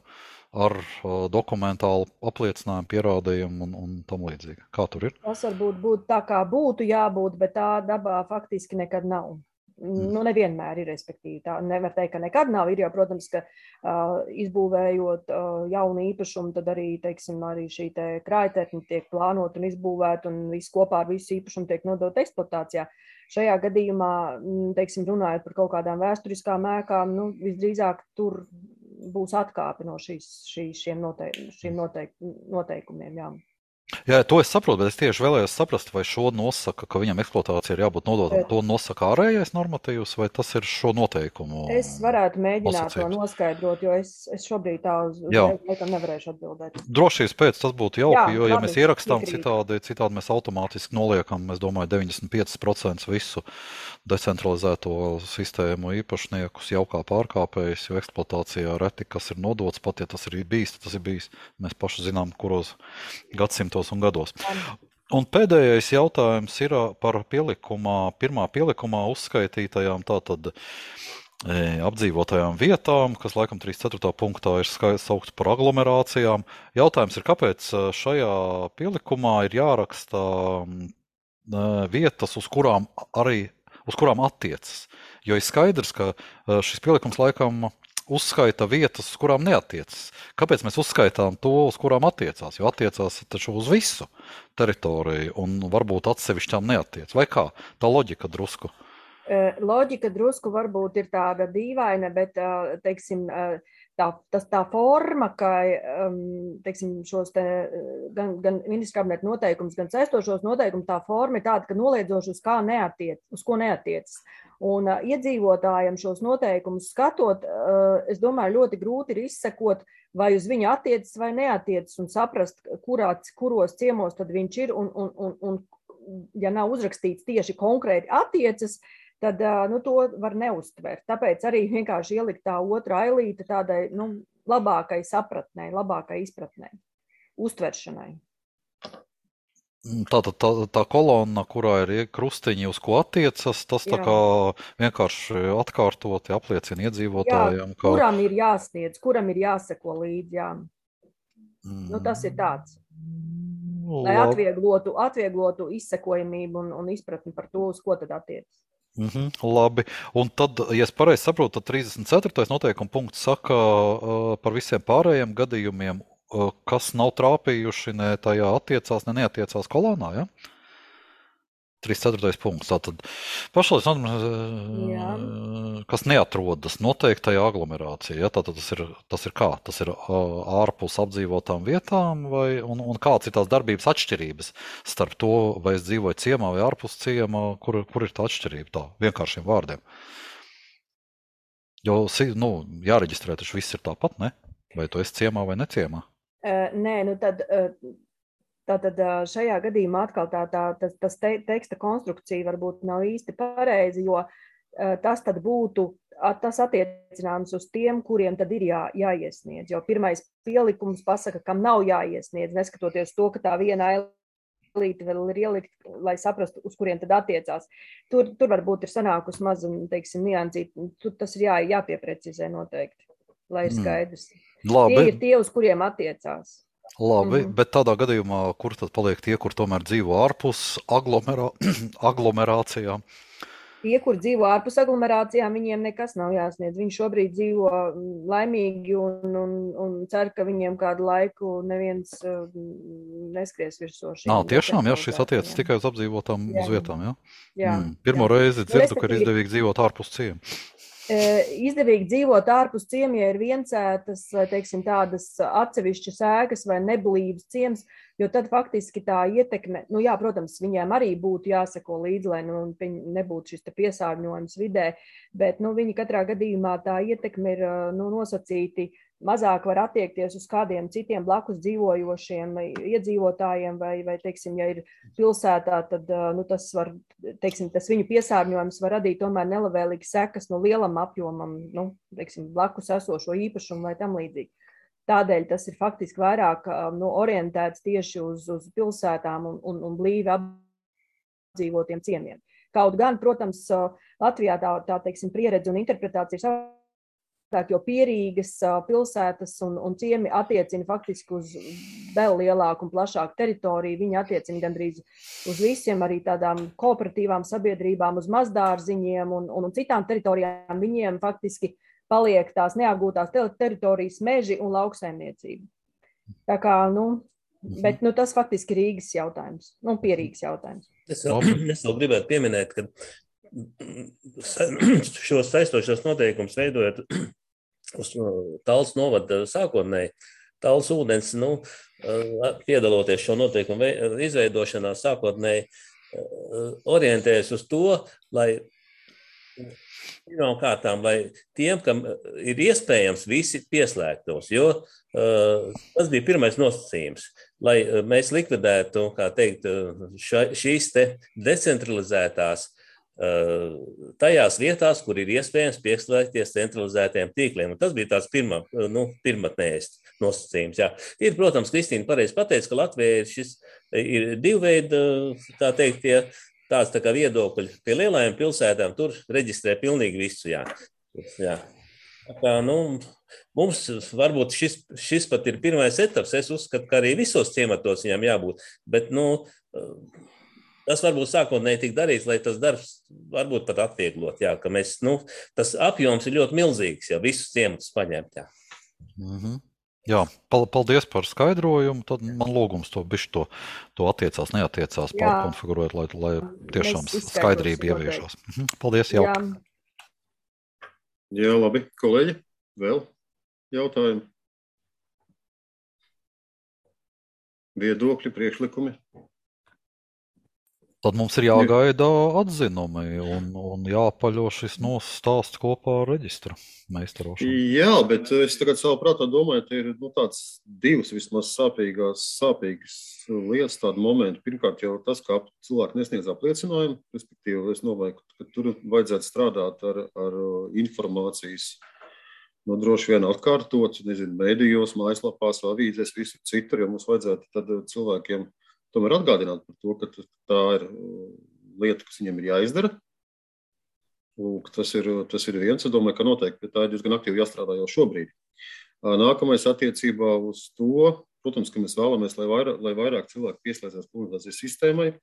ar uh, dokumentālu apliecinājumu, pierādījumu un, un tam līdzīgi. Kā tur ir? Tas varbūt būtu tā, kā būtu jābūt, bet tā dabā faktiski nekad nav. Nu, nevienmēr ir, respektīvi. Tā nevar teikt, ka nekad nav. Ir jau, protams, ka uh, izbūvējot uh, jaunu īpašumu, tad arī, teiksim, arī šī te krājtvertne tiek plānot un izbūvēt, un viss kopā ar visu īpašumu tiek nodot eksploatācijā. Šajā gadījumā, teiksim, runājot par kaut kādām vēsturiskām ēkām, nu, visdrīzāk tur būs atkāpi no šīs, šī, šiem, noteik, šiem noteik, noteikumiem, jā. Jā, to es saprotu, bet es tieši vēlējos saprast, vai šo nosaka, ka viņam eksploatācija ir jābūt nodotam. To nosaka ārējais normatīvs, vai tas ir šo noteikumu? Es varētu mēģināt to noskaidrot, jo es, es šobrīd tā uz laikam nevarēšu atbildēt. Drošības pēc tas būtu jauki, Jā, jo, ja labi, mēs ierakstām iekrīt. citādi, citādi mēs automātiski noliekam, es domāju, deviņdesmit pieci procenti visu decentralizēto sistēmu īpašniekus jau kā pārkāpējus, jo eksploatācijā reti, kas ir nodots, pat ja tas ir bijis, tas ir bijis. Mēs paši zinām, kuros gadsimtos un gados. Un pēdējais jautājums ir par pielikumā, pirmā pielikumā uzskaitītajām tātad e, apdzīvotajām vietām, kas laikam trīsdesmit ceturtajā punktā ir saukts par aglomerācijām. Jautājums ir, kāpēc šajā pielikumā ir jāraksta e, vietas, uz kurām arī uz kurām attiecas. Jo ir skaidrs, ka šis pielikums laikam uzskaita vietas, uz kurām neatiecas. Kāpēc mēs uzskaitām to, uz kurām attiecās? Jo attiecās taču uz visu teritoriju un varbūt atsevišķām neatiec. Vai kā? Tā loģika drusku. Loģika drusku varbūt ir tāda dīvaina, bet, teiksim, tā, tas, tā forma, ka, teiksim, šos te, gan, gan ministra kabineta noteikums, gan saistošos noteikumus, tā forma ir tāda, ka noliedzoši uz kā neatiec, uz ko neatiecas. Un uh, iedzīvotājiem šos noteikumus skatot, uh, es domāju, ļoti grūti ir izsekot, vai uz viņu attiecas vai neatiecas un saprast, kurā, kuros ciemos tad viņš ir. Un, un, un, un ja nav uzrakstīts tieši konkrēti attiecas, tad uh, nu, to var neuztvert. Tāpēc arī vienkārši ielikt tā otra ailīte tādai nu, labākai sapratnei, labākai izpratnei, uztveršanai. Tātad tā, tā, tā kolonna, kurā ir krustiņi, uz ko attiecas, tas tā kā vienkārši atkārtoti apliecina iedzīvotājiem. Jā, ka... kuram ir jāsniedz, kuram ir jāseko līdzi, jā. Mm. Nu, tas ir tāds. Lai atvieglotu, atvieglotu izsekojamību un, un izpratni par to, uz ko tad attiecas. Mm-hmm, labi. Un tad, ja es pareizi saprotu, tad trīsdesmit ceturtais noteikuma punkts saka uh, par visiem pārējiem gadījumiem, kas nav trāpījuši ne tajā attiecās, ne neatiecās kolonā, ja? trīs ceturtais punkts. Tātad pašlaik, kas neatrodas noteiktajā aglomerācijā, ja? Tātad tas ir, tas ir kā? Tas ir ārpus apdzīvotām vietām, vai, un, un kāds ir tās darbības atšķirības starp to, vai es dzīvoju ciemā vai ārpus ciemā, kur, kur ir tā atšķirība tā, vienkāršiem vārdiem? Jo, nu, jāreģistrē, taču viss ir tāpat, ne? Vai tu esi ciemā vai neciemā? Uh, nē, nu tad... Uh... Tātad šajā gadījumā atkal tā, tā, tas, tas te, teksta konstrukcija varbūt nav īsti pareizi, jo tas tad būtu, tas attiecināms uz tiem, kuriem tad ir jā, jāiesniedz. Jo pirmais pielikums pasaka, kam nav jāiesniedz, neskatoties to, ka tā viena ailīte vēl ir ielikt, lai saprastu, uz kuriem tad attiecās. Tur, tur varbūt ir sanākus maz, teiksim, niansīt, tur tas ir jā, jāpieprecizē noteikti, lai ir skaidrs. Labi. Tie ir tie, uz kuriem attiecās. Labi, mm-hmm. Bet tādā gadījumā, kur tad paliek tie, kur tomēr dzīvo ārpus aglomerā, aglomerācijām? Tie, kur dzīvo ārpus aglomerācijām, viņiem nekas nav jāsniedz. Viņi šobrīd dzīvo laimīgi un, un, un cer, ka viņiem kādu laiku neviens uh, neskries virsū. Nā, tiešām, jā, šis attiecas tikai uz apdzīvotām jā. Uz vietām, jā? Jā. Mm. Pirmo jā. Reizi dzirdu, ka ir izdevīgi dzīvot ārpus ciemu. Izdevīgi dzīvot ārpus ciemiem, ja ir viencētas, vai teiksim, tādas atsevišķas ēkas vai neblīvas ciems, jo tad faktiski tā ietekme, nu jā, protams, viņiem arī būtu jāseko līdzi, lai nu, nebūtu šis te piesārņojums vidē, bet nu, viņi katrā gadījumā tā ietekme ir nu, nosacīti, mazāk var attiekties uz kādiem citiem blakus dzīvojošiem iedzīvotājiem, vai, vai teiksim, ja ir pilsētā, tad nu, tas, var, teiksim, tas viņu piesārņojums var radīt tomēr nelabvēlīgas sekas no lielam apjomam, nu, teiksim, blakus esošo īpašumu vai tam līdzīgi. Tādēļ tas ir faktiski vairāk nu, orientēts tieši uz, uz pilsētām un, un, un blīvi apdzīvotiem ciemiem. Kaut gan, protams, Latvijā tā, tā teiksim, pieredze un interpretācija ir jo pierīgas pilsētas un, un ciemi attiecina faktiski uz vēl lielāku un plašāku teritoriju. Viņi attiecina gandrīz uz visiem, arī tādām kooperatīvām sabiedrībām, uz mazdārziņiem un, un, un citām teritorijām. Viņiem faktiski paliek tās neapgūtās teritorijas meži un lauksaimniecība. Tā kā, nu, bet nu, tas faktiski ir Rīgas jautājums, nu, pierīgas jautājums. Es vēl, es vēl gribētu pieminēt, ka šos saistošos noteikumus veidojot uz Tallas novada sākotnēji, Tallas ūdens, nu, piedaloties šo noteikumu izveidošanā, sākotnēji orientējas uz to, lai pirmām kārtām, lai tiem, kam ir iespējams, visi pieslēgtos, jo uh, tas bija pirmais nosacījums, lai mēs likvidētu, kā teikt, ša, šīs te decentralizētās tajās vietās, kur ir iespējams pieslēgties centralizētiem tīkliem. Un tas bija tāds pirmā, nu, pirmatnējs nosacījums. Jā. Ir, protams, Kristīna pareizi pateica, ka Latvijā ir šis ir divu veidu, tā teikt, tie, tāds tā kā viedokļi. Pie lielajām pilsētām tur reģistrē pilnīgi visu. Jā. Jā. Tā, nu, mums varbūt šis, šis pat ir pirmais etaps. Es uzskatu, ka arī visos ciematos viņam jābūt. Bet, nu, tas varbūt sākotnēji tik darīts, lai tas darbs varbūt pat atvieglot, jā, ka mēs, nu, tas apjoms ir ļoti milzīgs, ja visus ciematus paņemt, jā. Mm-hmm. Jā, paldies par skaidrojumu, tad man lūgums to bišķi to, to attiecās, neattiecās, pārkonfigurēt, lai, lai tiešām skaidrība ieviešās. Paldies, jau. Jā. Jā, labi, kolēģi, vēl jautājumi? Viedokļi, priekšlikumi? Tad mums ir jāgaida atzinumi un, un jāpaļo šis stāsts kopā ar reģistra meistarošanu. Jā, bet es tagad savā prātā domāju, ka ir nu, tāds divas vismaz sāpīgās, sāpīgas lietas, tādi momenti. Pirmkārt jau tas, kā cilvēki nesniedz apliecinājumu, respektīvi es domāju, ka tur vajadzētu strādāt ar, ar informācijas, nu, droši vien atkārtot, nezinu, mēdījos, mājaslapās, avīzēs, visur citur, ja mums vajadzētu tad cilvēkiem tomēr atgādināt par to, ka tā ir lieta, kas viņiem ir jāizdara. Lūk, tas ir, tas ir viens. Es domāju, ka noteikti tā ir diezgan aktīvi jāstrādā jau šobrīd. Nākamais attiecībā uz to, protams, ka mēs vēlamies, lai vairāk, lai vairāk cilvēku pieslēdzās komunikācijas sistēmai,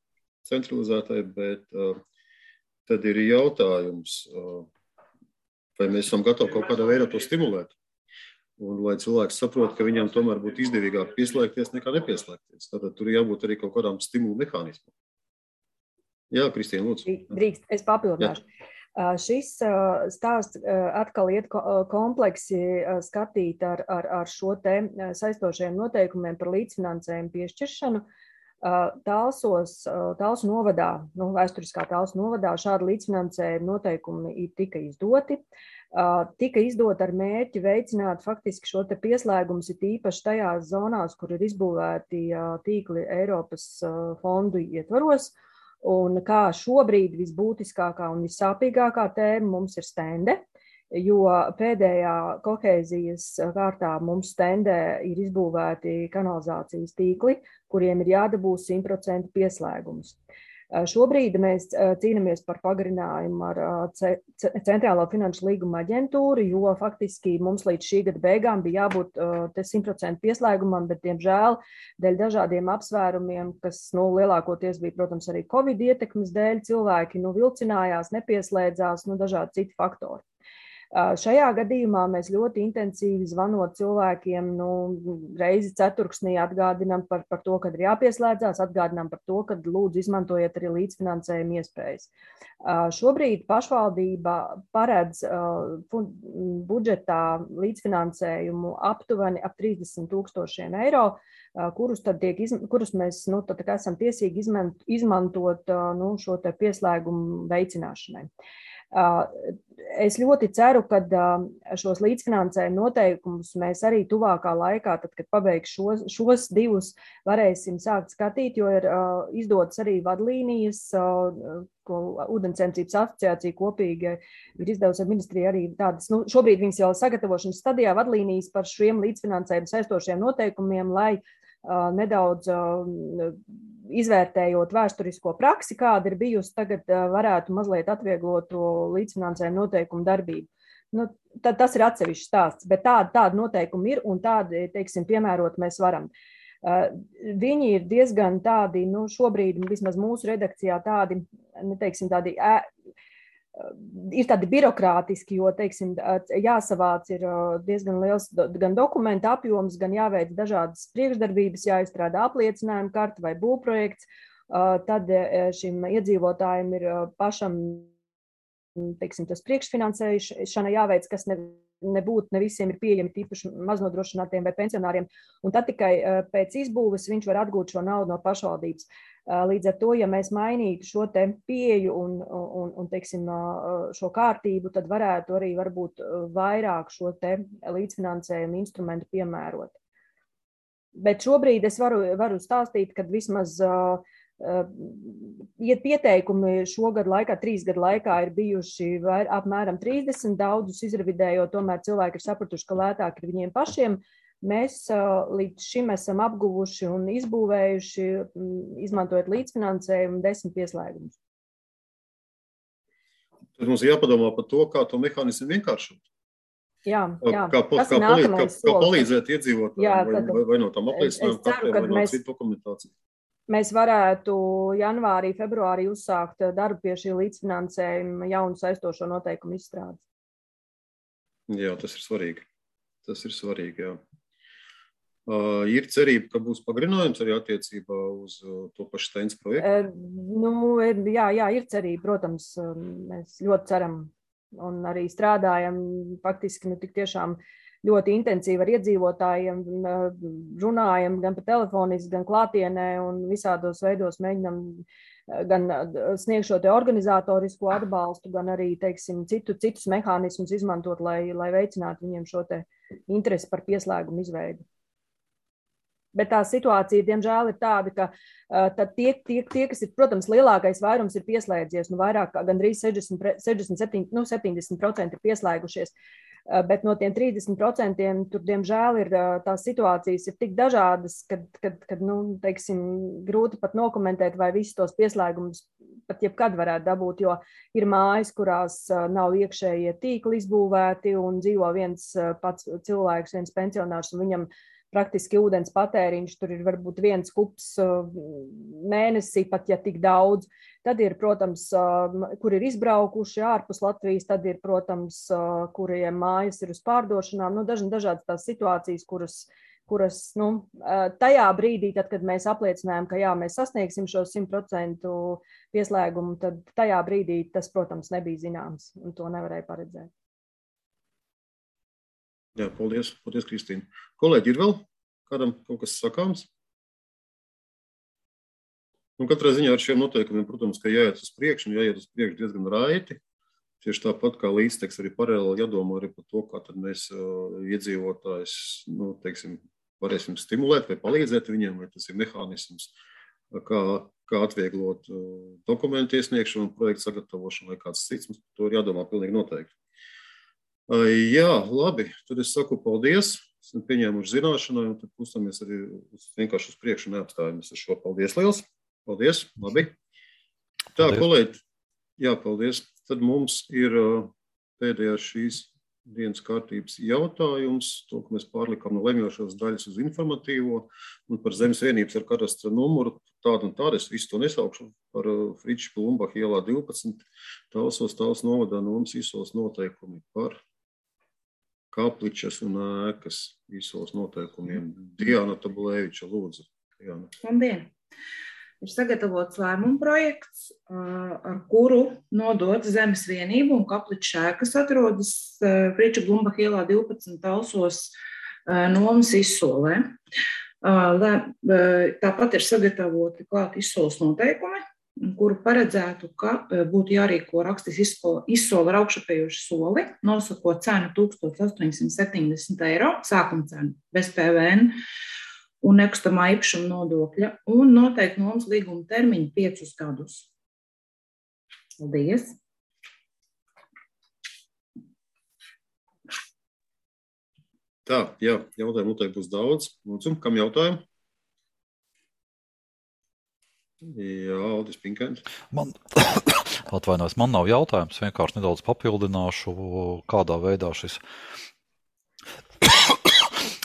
centralizētai, bet uh, tad ir jautājums, uh, vai mēs esam gatavi kaut kādā veidā to stimulēt. Un lai cilvēks saprot, ka viņam tomēr būtu izdevīgāk pieslēgties nekā nepieslēgties. Tātad tur jābūt arī kaut kādām stimulu mehānismam. Jā, Kristīna, lūdzu. Drīkst, es papildināšu. Jā. Šis stāsts atkal iet kompleksi skatīt ar, ar, ar šo te saistošajiem noteikumiem par līdzfinansējumu piešķiršanu. Talsos, Talsu novadā, nu, vēsturiskā Talsu novadā šādi līdzfinansējuma noteikumi tika izdoti. Tika izdot ar mērķi veicināt faktiski šo te pieslēgumus, ir īpaši tajās zonās, kur ir izbūvēti tīkli Eiropas fondu ietvaros. Un kā šobrīd visbūtiskākā un vissāpīgākā tēma mums ir stende, jo pēdējā kohēzijas kārtā mums stendē ir izbūvēti kanalizācijas tīkli, kuriem ir jādabū simt procentu pieslēgums. Šobrīd mēs cīnāmies par pagarinājumu ar Centrālo finanšu līguma aģentūru, jo faktiski mums līdz šī gada beigām bija jābūt simt procentu pieslēgumam, bet, diemžēl, dēļ dažādiem apsvērumiem, kas nu, lielākoties bija, protams, arī Covid ietekmes dēļ, cilvēki nu, vilcinājās, nepieslēdzās, nu, dažādi citi faktori. Šajā gadījumā mēs ļoti intensīvi zvanot cilvēkiem, nu, reizi ceturksnī atgādinām par, par to, kad ir jāpieslēdzās, atgādinām par to, kad lūdzu izmantojiet arī līdzfinansējuma iespējas. Šobrīd pašvaldība paredz budžetā līdzfinansējumu aptuveni ap trīsdesmit tūkstošiem eiro, kurus, tad tiek, kurus mēs nu, tad, esam tiesīgi izmantot nu, šo te pieslēgumu veicināšanai. Es ļoti ceru, ka šos līdzfinansējuma noteikumus mēs arī tuvākā laikā, tad, kad pabeigs šos, šos divus, varēsim sākt skatīt, jo ir izdotas arī vadlīnijas, ko Ūdenssaimniecības asociācija kopīgi ir izdevusi ar ministriju arī tādas, nu, šobrīd viņas jau sagatavošanas stadijā vadlīnijas par šiem līdzfinansējuma saistošiem noteikumiem, lai nedaudz izvērtējot vēsturisko praksi, kāda ir bijusi, tagad varētu mazliet atvieglot to līdzfinansējumu noteikumu darbību. Nu, tad tas ir atsevišķs stāsts, bet tādi, tādi noteikumi ir un tādi, teiksim, piemērot mēs varam. Viņi ir diezgan tādi, nu, šobrīd vismaz mūsu redakcijā tādi, neteiksim, tādi ē, ir tādi birokrātiski, jo, teiksim, jāsavāc ir diezgan liels gan dokumenta apjoms, gan jāveic dažādas priekšdarbības, jāizstrādā apliecinājuma karta vai būvprojekts, tad šim iedzīvotājiem ir pašam, teiksim, tas priekšfinansēšana jāveic, kas ne, nebūtu, ne visiem ir pieejami tīpaši maznodrošinātiem vai pensionāriem, un tad tikai pēc izbūves viņš var atgūt šo naudu no pašvaldības. Līdz ar to, ja mēs mainītu šo te pieeju un, un, un teiksim, šo kārtību, tad varētu arī varbūt vairāk šo te līdzfinansējumu instrumentu piemērot. Bet šobrīd es varu, varu stāstīt, ka vismaz uh, iet pieteikumi šogad laikā, trīs gadu laikā ir bijuši vair, apmēram trīsdesmit, daudzus izrevidējot, tomēr cilvēki ir sapratuši, ka lētāk ir viņiem pašiem. Mēs līdz šim esam apguvuši un izbūvējuši, izmantojot līdzfinansējumu, desmit pieslēgumus. Tad mums ir jāpadomā par to, kā to mehānismu vienkāršot. Jā, jā. Kā, kā, kā, palīdz, kā, kā palīdzēt iedzīvotājiem vai, vai, vai no tam apliecinājuma kartē, vai no citu dokumentāciju. Mēs varētu janvārī, februārī uzsākt darbu pie šī līdzfinansējuma jaunu saistošo noteikumu izstrādes. Jā, tas ir svarīgi. Tas ir svarīgi, jā. Uh, ir cerība, ka būs pagarinājums arī attiecībā uz uh, to pašu Steins projektu? Uh, nu, jā, jā, ir cerība, protams, mēs ļoti ceram un arī strādājam faktiski nu, tik tiešām ļoti intensīvi ar iedzīvotājiem, runājam gan pa telefoniski, gan klātienē un visādos veidos mēģinam gan sniegt šo te organizatorisko atbalstu, gan arī, teiksim, citu, citus mehānismus izmantot, lai, lai veicinātu viņiem šo te interesi par pieslēgumu izveidi. Bet tā situācija, diemžēl, ir tāda, ka uh, tie, tie, tie, kas ir, protams, lielākais vairums ir pieslēdzies, nu vairāk kā gandrīz sešdesmit, sešdesmit, nu, septiņdesmit procenti ir pieslēgušies, uh, bet no tiem trīsdesmit procentiem tur, diemžēl, ir uh, tās situācijas ir tik dažādas, kad, kad, kad nu, teiksim, grūti pat nokomentēt, vai visus tos pieslēgumus pat jebkad varētu dabūt, jo ir mājas, kurās uh, nav iekšējie tīkli izbūvēti un dzīvo viens uh, pats cilvēks, viens pensionārs, un viņam praktiski ūdens patēriņš, tur ir varbūt viens kups mēnesī, pat ja tik daudz. Tad ir, protams, kur ir izbraukuši ārpus Latvijas, tad ir, protams, kuriem mājas ir uz pārdošanām. Nu, dažādas tās situācijas, kuras, kuras nu, tajā brīdī, tad, kad mēs apliecinājām, ka jā, mēs sasniegsim šo simt procentu pieslēgumu, tad tajā brīdī tas, protams, nebija zināms un to nevarēja paredzēt. Jā, paldies, paldies, Kristīna. Kolēģi, ir vēl kādam kaut kas sakāms? Nu, katrā ziņā ar šiem noteikumiem, protams, ka jāiet uz priekšu un jāiet uz priekšu diezgan raiti. Tieši tāpat kā līdzteks arī paralēli jādomā arī par to, kā tad mēs uh, iedzīvotājs, nu, teiksim, varēsim stimulēt vai palīdzēt viņiem, vai tas ir mehānisms, kā, kā atvieglot uh, dokumentu iesniegšanu, projektu sagatavošanu vai kāds cits. Mums par to ir jādomā pilnīgi noteikti. Uh, jā, labi, tad es saku paldies, esam pieņēmuši zināšanai, un tad pustamies arī uz, vienkārši uz priekšu un neapstājamies ar šo. Paldies liels! Paldies, labi. Tā, paldies. Kolēģi, jā, paldies. Tad mums ir uh, pēdējā šīs dienas kārtības jautājums, to, ka mēs pārlikām no lemjošās daļas uz informatīvo un par zemes vienības ar kadastra numuru, tādu un tādu, es visu to nesaukšu, par uh, Friča Plumbacha ielā divpadsmit, Talsos, Tals novadā nomas izsoles noteikumi par kapličas un ēkas izsoles noteikumiem. Diana Tabulēviča, lūdzu. Diana. Labdien! Ir sagatavots lēmuma projekts, ar kuru nodot zemes vienību un kapliču ēka, kas atrodas Friča Plumbacha ielā divpadsmit Talsos nomas izsolē. Tāpat ir sagatavoti klāt izsoles noteikumi, kuru paredzētu, ka būtu jārīko rakstis izsole ar augšupējošu soli, nosakot cenu tūkstoš astoņsimt septiņdesmit eiro, sākuma cenu bez P V N. Un nekustamā īpašuma nodokļa, un noteikti nomas līguma termiņu piecus gadus. Paldies! Tā, jā, jautājumu noteikti būs daudz. Lūdzu, kam jautājumu? Jā, Aldis Pinkains. Man, atvainojos, man nav jautājums, vienkārši nedaudz papildināšu, kādā veidā šis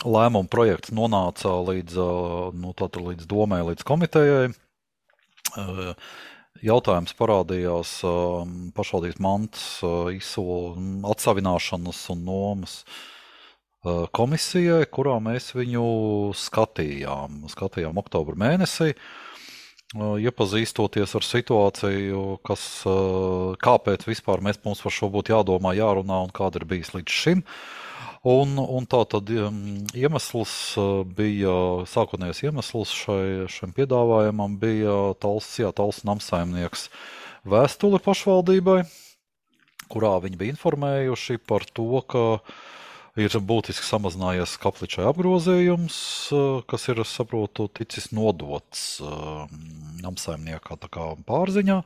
lēmuma projekts nonāca līdz, nu, tātad līdz domai, līdz komitejai. Jautājums parādījās pašvaldības mantas izsolu atsavināšanas un nomas komisijai, kurā mēs viņu skatījām. Skatījām oktobra mēnesī, iepazīstoties ar situāciju, kas, kāpēc vispār mēs mums par šo būtu jādomā, jārunā un kāda ir bijis līdz šim. Un, un tā tad iemesls bija, sākotnējais iemesls šai, šim piedāvājumam bija Tals, jā, Tals namsaimnieks vēstuli pašvaldībai, kurā viņi bija informējuši par to, ka ir būtiski samazinājies kapličai apgrozījums, kas ir, saprotu, ticis nodots namsaimniekā tā kā pārziņā.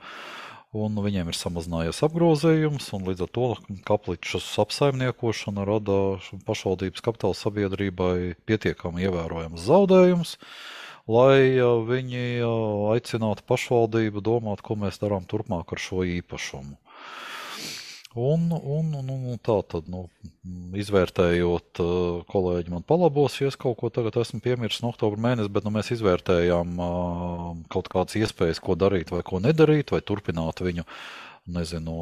Un viņiem ir samazinājies apgrozījums, un līdz ar to kapličas apsaimniekošana rada pašvaldības kapitāla sabiedrībai pietiekami ievērojams zaudējums, lai viņi aicinātu pašvaldību domāt, ko mēs darām turpmāk ar šo īpašumu. Un, un, un, un tā tad, nu, izvērtējot, kolēģi man palabos, ja es kaut ko tagad esmu piemirsis no oktobra mēnesi, bet nu, mēs izvērtējām uh, kaut kādas iespējas, ko darīt vai ko nedarīt, vai turpināt viņu, nezinu,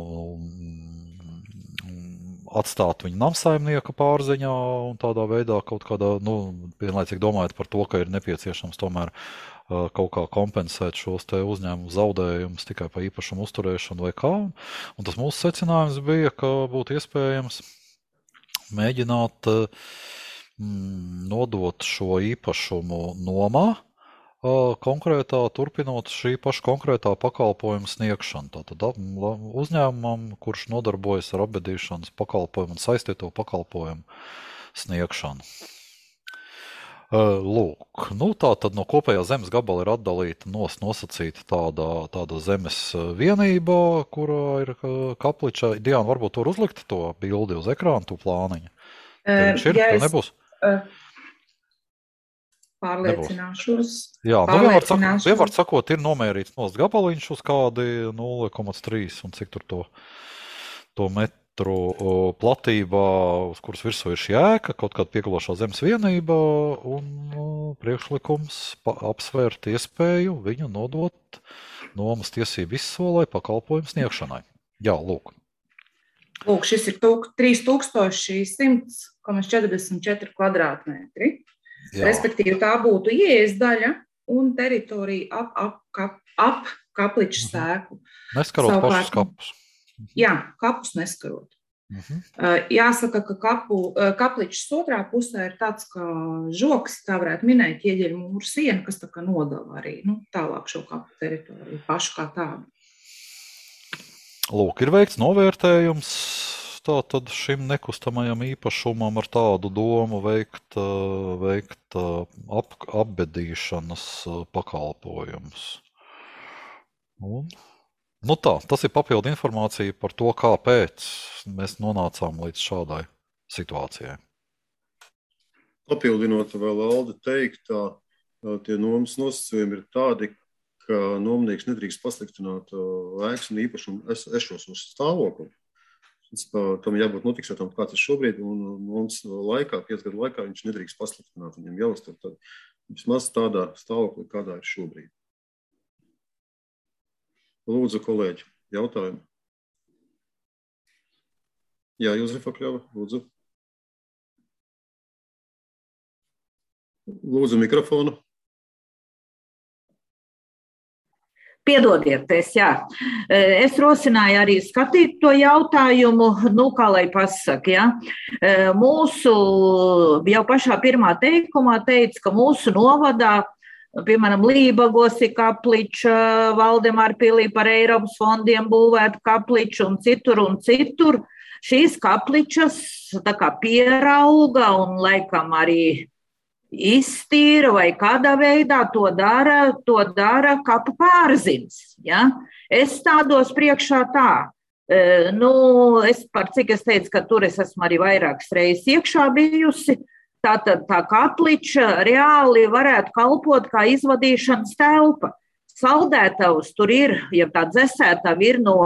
atstāt viņu namsaimnieka pārziņā un tādā veidā kaut kādā, nu, vienlaicīgi domājot par to, ka ir nepieciešams tomēr uh, kaut kā kompensēt šos te uzņēmumu zaudējumus tikai pa īpašumu uzturēšanu vai kā. Un tas mūsu secinājums bija, ka būtu iespējams mēģināt uh, nodot šo īpašumu nomā, konkrētā, turpinot šī paša konkrētā pakalpojuma sniegšanu. Tātad uzņēmumam, kurš nodarbojas ar apbedīšanas pakalpojumu un saistīto pakalpojumu sniegšanu. Lūk, nu tā tad no kopējā zemes gabala ir atdalīta nos, nosacīta tāda, tāda zemes vienība, kurā ir kapliča. Diana, varbūt tur uzlikt to bildi uz ekrānu, tu plāniņu. Tev viņš ir, tev nebūs? Uh. Pārliecināšos. Jā, nu vienvar sakot, vienvar sakot, ir nomērīts nost gabaliņš uz kādi nulle komats trīs un cik tur to, to metru platībā, uz kuras virsū ir šī ēka, kaut kāda piegalošā zemes vienība un priekšlikums apsvērt iespēju viņu nodot nomas tiesību izsolē pakalpojumu sniegšanai. Jā, lūk. Lūk, šis ir trīs tūkstoši simts četrdesmit četri kvadrātmetri. Jā. Respektīvi, tā būtu ieejas daļa un teritorija ap, ap, kap, ap kapliču sēku. Neskarot Savukārt, pašus kapus. Jā, kapus neskarot. Uh-huh. Jāsaka, ka kapu, kapličs otrā pusē ir tāds kā žoks, tā varētu minēt, ieģeļu mūru siena, kas tā kā nodala arī nu, tālāk šo kapu teritoriju, pašu kā tādu. Lūk, ir veikts novērtējums tātad šim nekustamajam īpašumam ar tādu domu veikt, veikt ap, apbedīšanas pakalpojumus. Un, nu tā, tas ir papildu informācija par to, kāpēc mēs nonācām līdz šādai situācijai. Papildinot vēl Alde teiktā, tie nomas nosacījumi ir tādi, ka nomnieks nedrīkst pasliktināt ēkas un īpašumu ešos uz stāvokli. Tam jābūt notiksētam, kāds ir šobrīd, un mums laikā, piec gadu laikā, viņš nedrīkst pasliktināt. Viņam jāuztur tad vismaz tādā stāvoklī, kādā ir šobrīd. Lūdzu, kolēģi, jautājumi. Jā, Jozefa Kļava, lūdzu. Lūdzu mikrofonu. Piedodiet, es, jā. Es rosināju arī skatīt to jautājumu, nu, kā lai pasaka, jā. Mūsu, jau pašā pirmā teikumā teica, ka mūsu novadā, piemēram, Lībagos ir kapliča, Valdemārpilī par Eiropas fondiem būvēt kapliču un citur un citur. Šīs kapličas tā kā pierauga un laikam arī iztīra vai kādā veidā to dara, to dara kapu pārzins. Ja? Es stādos priekšā tā, e, nu, es par cik es teicu, ka tur es esmu arī vairākas reizes iekšā bijusi, tātad tā kapliča reāli varētu kalpot kā izvadīšanas telpa. Saldētavs tur ir, ja tā dzesētava ir no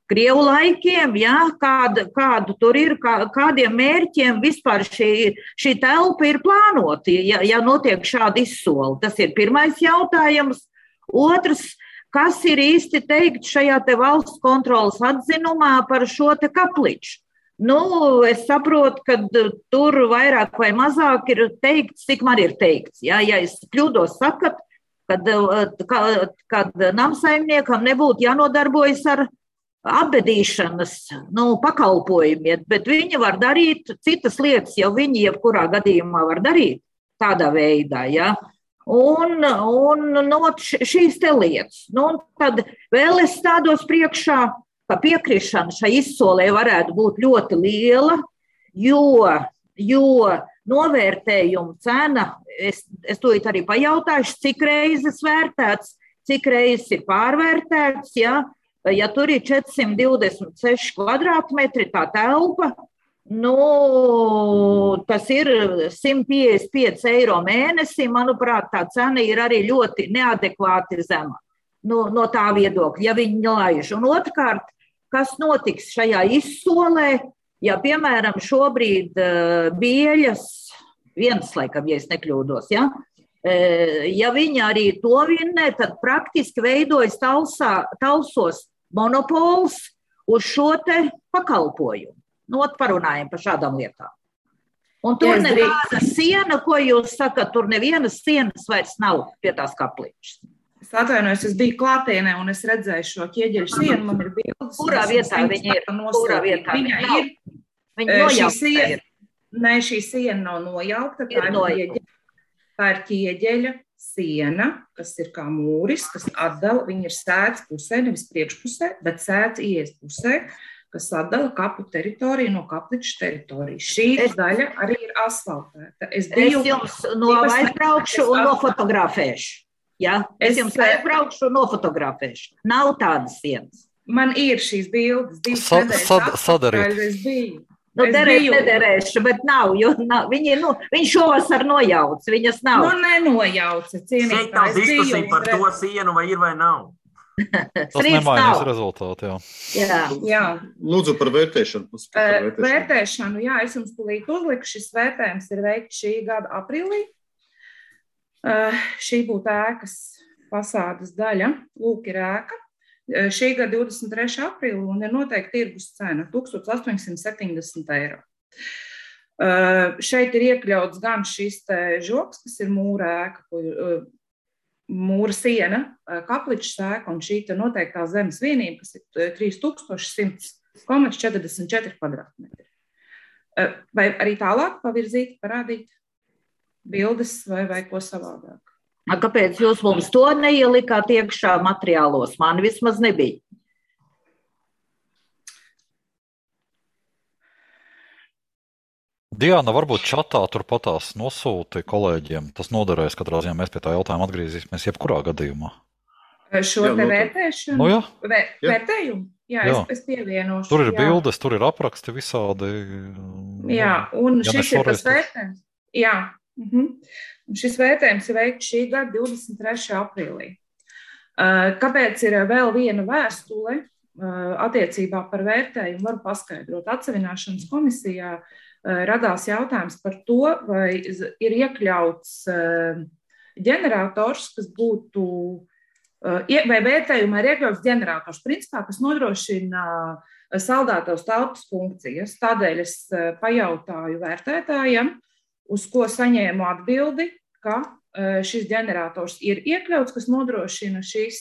Krievu laikiem, ja, kāda, kādu tur ir, kā, kādiem mērķiem vispār šī, šī telpa ir plānota, ja, ja notiek šāda izsoli. Tas ir pirmais jautājums. Otrs, kas ir īsti teikt šajā te valsts kontrolas atzinumā par šo te kapliču? Nu, es saprotu, ka tur vairāk vai mazāk ir teikts, cik man ir teikts. Ja, ja es kļūdos sakat, kad, kad, kad namsaimniekam nebūtu jānodarbojas ar apbedīšanas nu, pakalpojumiem, bet viņi var darīt citas lietas, jau viņi jebkurā gadījumā var darīt tādā veidā. Ja? Un, un no šīs te lietas. Nu, tad vēl es stādos priekšā, ka piekrišana šai izsolē varētu būt ļoti liela, jo, jo novērtējuma cena, es, es to arī pajautāšu, cik reizes vērtēts, cik reizes ir pārvērtēts, ja? Ja tur ir četrsimt divdesmit seši kvadrātmetri tā telpa, nu, tas ir simt piecdesmit pieci eiro mēnesī, manuprāt, tā cena ir arī ļoti neadekvāti zema no, no tā viedokļa, ja viņi laiž. Un otrkārt, kas notiks šajā izsolē, ja, piemēram, šobrīd uh, Bieļas, viens laikam, ja es nekļūdos, ja, uh, ja viņi arī to vinnē, tad praktiski veidojas talsā, talsos monopols uz šo te pakalpojumu. Nu, parunājam par šādām lietām. Un tur neviena siena, ko jūs sakat, tur nevienas sienas vairs nav pie tās kapličas. Es atvainojos, es biju klātienē un es redzēju šo ķieģeļu sienu, man ir bildes. Kurā vietā viņa ir? Kurā vietā viņa ir? Viņa nojaukta ir. Nē, šī siena nav nojaukta, tā ir, ķieģeļa, tā ir ķieģeļa siena, kas ir kā mūris, kas atdala, viņa ir sēdz pusē, nevis priekšpusē, bet sēdz ies pusē, kas atdala kapu teritoriju no kapličas teritorijas. Šī es, daļa arī ir asfaltēta. Es, biju, es jums no aizbraukšu un nofotografēšu. Ja? Es, es jums aizbraukšu un nofotografēšu. Nav tādas sienas. Man ir šīs bildes, divas Sa, nedēļas sad, atpakaļ, es biju. Nu, derēt, nederēšu, bet nav, jo nav. Viņi, nu, viņš šovasar nojauc, viņas nav. Nu, nenojauca, cienīt. Šeit nav diskusija par to sienu, vai ir vai nav. Tas nemainīs rezultātu, jā. jā. jā. Lūdzu par vērtēšanu. Par vērtēšanu. Vērtēšanu, jā, es jums tūlīt uzliku. Šis vērtējums ir veikts šī gada aprīlī. Uh, šī būtu ēkas fasādes daļa. Lūk, ir ēka. Šī gada divdesmit trešā aprīlī un ir noteikti tirgus cena tūkstoš astoņsimt septiņdesmit eiro. Šeit ir iekļauts gan šis te žoks, kas ir mūra ēka, mūra siena, kapličs ēka un šī te noteiktā zemes vienība, kas ir trīs tūkstoši simts četrdesmit četri kvadrātmetri. Vai arī tālāk pavirzīt, parādīt bildes vai, vai ko savādāk? Kāpēc jūs mums to neielikāt iekšā materiālos? Man vismaz nebija. Diana, varbūt čatā turpatās nosūti kolēģiem. Tas noderēs katrā ziņā. Mēs pie tā jautājuma atgriezīsimies jebkurā gadījumā. Šo te vērtēšanu? Nu, jā. Vēr, vērtējumu? Jā, jā. Es, es pievienošu. Tur ir jā. bildes, tur ir apraksti visādi. Jā, un ja šis ir tas vērtējums. Jā. Uh-huh. Un šis vērtējums ir veikts šī gada divdesmit trešā aprīlī. Kāpēc ir vēl viena vēstule attiecībā par vērtējumu, varu paskaidrot. Atsevināšanas komisijā radās jautājums par to, vai ir iekļauts ģenerators, kas būtu, vai vērtējumā ir iekļauts ģenerators, principā, kas nodrošina saldētavas telpas funkcijas. Tādēļ es pajautāju vērtētājiem, uz ko saņēmu atbildi, ka šis ģenerators ir iekļauts, kas nodrošina šīs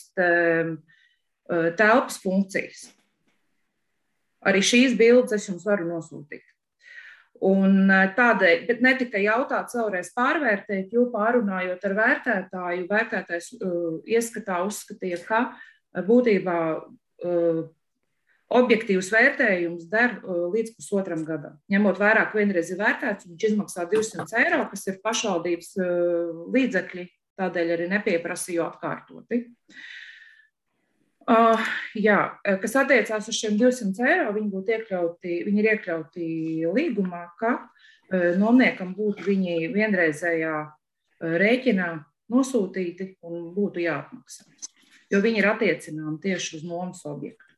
telpas funkcijas. Arī šīs bildes es jums varu nosūtīt. Un tādēļ, bet netika jautāts vēlreiz pārvērtēt, jo pārunājot ar vērtētāju, vērtētājs uh, ieskatā uzskatīja, ka būtībā uh, objektīvs vērtējums der uh, līdz pusotram gadam. Ņemot vērā, ka vienreiz ir vērtēts, viņš izmaksā divsimt eiro, kas ir pašvaldības uh, līdzekļi, tādēļ arī nepieprasīju atkārtoti. Uh, jā, kas attiecās uz šiem divsimt eiro, viņi būtu iekļauti, viņi ir iekļauti līgumā, ka uh, nomniekam būtu viņi vienreizējā uh, rēķinā nosūtīti un būtu jāatmaksā, jo viņi ir attiecināmi tieši uz nomas objektu.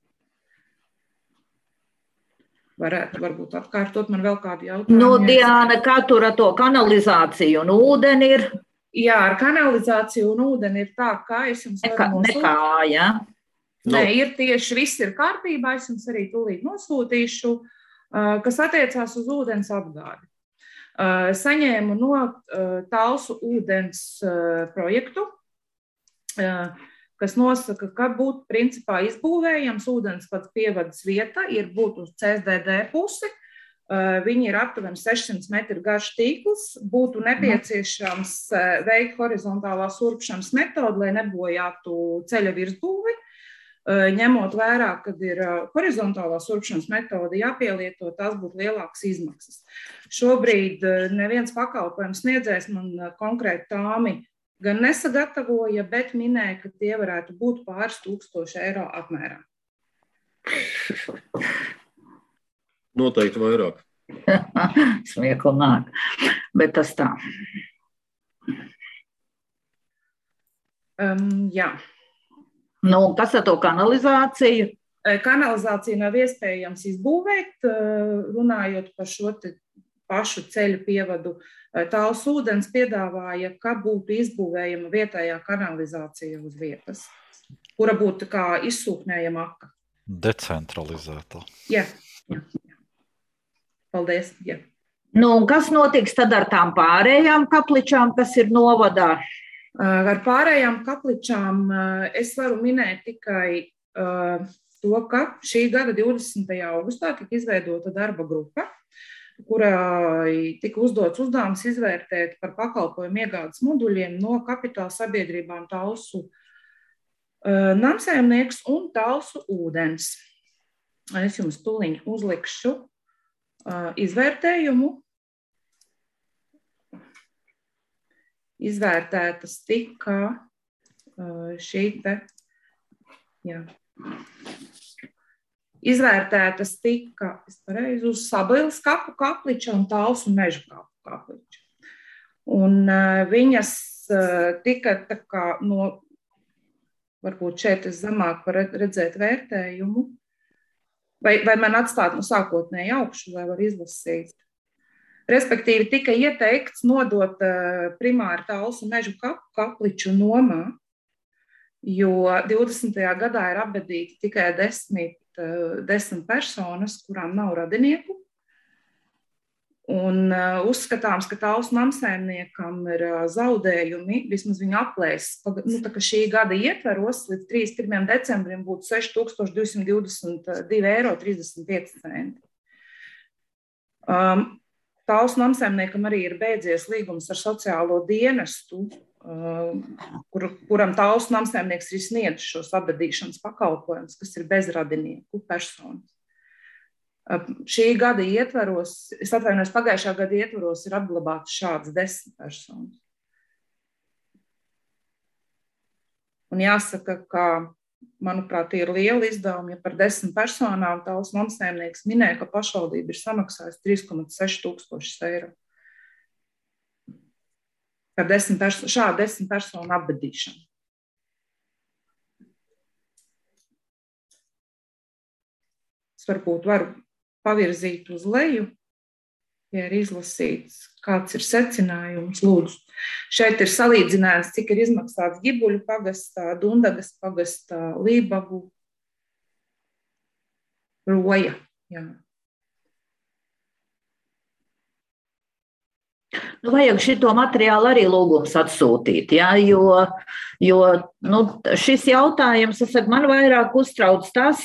Varētu varbūt atkārtot man vēl kādu jautājumu. Nu, Diana, kā tur ar to kanalizāciju un ūdeni ir? Jā, ar kanalizāciju un ūdeni ir tā, kā es jums varu nosūtīt. Nekā, jā. Nē, ir tieši viss ir kārtībā, es jums arī tūlīt nosūtīšu, kas attiecās uz ūdens apgādi. Saņēmu no Talsu ūdens projektu, kas nosaka, ka būtu principā izbūvējams ūdens pats pievadas vieta, ir būt uz C S D D pusi, viņi ir aptuveni sešsimt metru garš tīkls, būtu nepieciešams veikt horizontālās urpšanas metodu, lai nebojātu ceļa virsbūvi. Ņemot vērā, kad ir horizontālās urpšanas metode jāpielieto, tās būtu lielākas izmaksas. Šobrīd neviens pakalpojums sniedzējs man konkrēti tāmi gan nesagatavoja, bet minēja, ka tie varētu būt pāris tūkstoši eiro apmērā. Noteikti vairāk. Smiekli nāk, bet tas tā. Um, jā. Nu, kas ar to kanalizāciju? Kanalizāciju nav iespējams izbūvēt, runājot par šo pašu ceļu pievadu. Tāls ūdens piedāvāja, ka būtu izbūvējama vietējā kanalizācija uz vietas, kura būtu kā izsūknējama aka. Decentralizētā. Jā, jā, jā. Paldies. Jā. Nu, kas notiks tad ar tām pārējām kapličām, kas ir novadā? Ar pārējām kapličām es varu minēt tikai to, ka šī gada divdesmitajā augustā tika izveidota darba grupa, kurai tika uzdots uzdevums izvērtēt par pakalpojumu iegādes moduļiem no kapitāla sabiedrībām Talsu namsaimnieks un Talsu ūdens. Es jums tūliņ uzlikšu izvērtējumu. Izvērtētas tika šī te, jā, izvērtētas tika, es pareizi, uz Sabilas kapu kapliča un Talsu meža kapu kapliča. Un viņas tika tā kā no, varbūt šeit es zemāk var redzēt vērtējumu, vai, vai man atstāt no sākotnēji augšu, vai var izlasīt. Respektīvi, tika ieteikts nodot primāri Talsu mežu kapu kapliču nomā, jo divdesmitajā gadā ir apbedīti tikai desmit, desmit personas, kurām nav radinieku. Un uh, uzskatāms, ka Talsu namsaimniekam ir uh, zaudējumi, vismaz viņa aplēs, nu, tā, ka šī gada ietveros līdz trīsdesmit pirmajam decembrim būtu seši tūkstoši divsimt divdesmit divi eiro trīsdesmit pieci centi. Um, Talsu namsaimniekam arī ir beidzies līgums ar sociālo dienestu, uh, kur, kuram Talsu namsaimnieks ir sniedz šos apbedīšanas pakalpojumus, kas ir bezradinieku personas. Šī gada ietvaros, es atvainojos, pagājušā gada ietvaros ir apglabāts šāds desmit personas. Un jāsaka, ka, manuprāt, ir liela izdevuma, ja par desmit personām Talsu namsaimnieks minēja, ka pašvaldība ir samaksājusi trīs komats seši tūkstošus eiro. Par desmit perso- šādu desmit personu apbedīšanu. Es varbūt varu pavirzīt uz leju, ja ir izlasīts, kāds ir secinājums, lūdzu. Šeit ir salīdzinājums, cik ir izmaksāts Gibuļu pagastā, Dundagas pagastā, Lībagu, Roja. Jā. Nu, vajag šito materiālu arī lūgums atsūtīt, ja, jo, jo nu, šis jautājums, es saku, man vairāk uztrauc tas,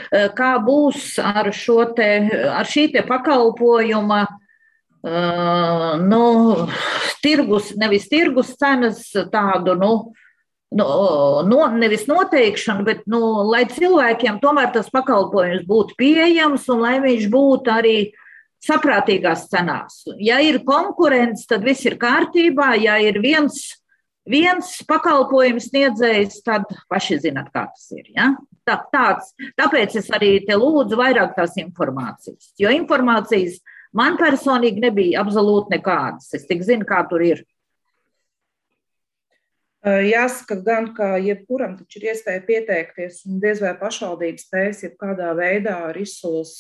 kā būs ar, šo te, ar šī te pakalpojuma, uh, nu, tirgus, nevis tirgus cenas tādu, nu, nu no, nevis noteikšanu, bet, nu, lai cilvēkiem tomēr tas pakalpojums būtu pieejams un lai viņš būtu arī saprātīgās cenās. Ja ir konkurence, tad viss ir kārtībā. Ja ir viens, viens pakalpojums sniedzējs, tad paši zināt, kā tas ir. Ja? Tā, tāds, tāpēc es arī te lūdzu vairāk tās informācijas. Jo informācijas man personīgi nebija absolūti nekādas. Es tik zinu, kā tur ir. Jāsaka gan, ka jebkuram taču ir iespēja pieteikties un diez vai pašvaldības spējas jebkādā veidā ar izsoles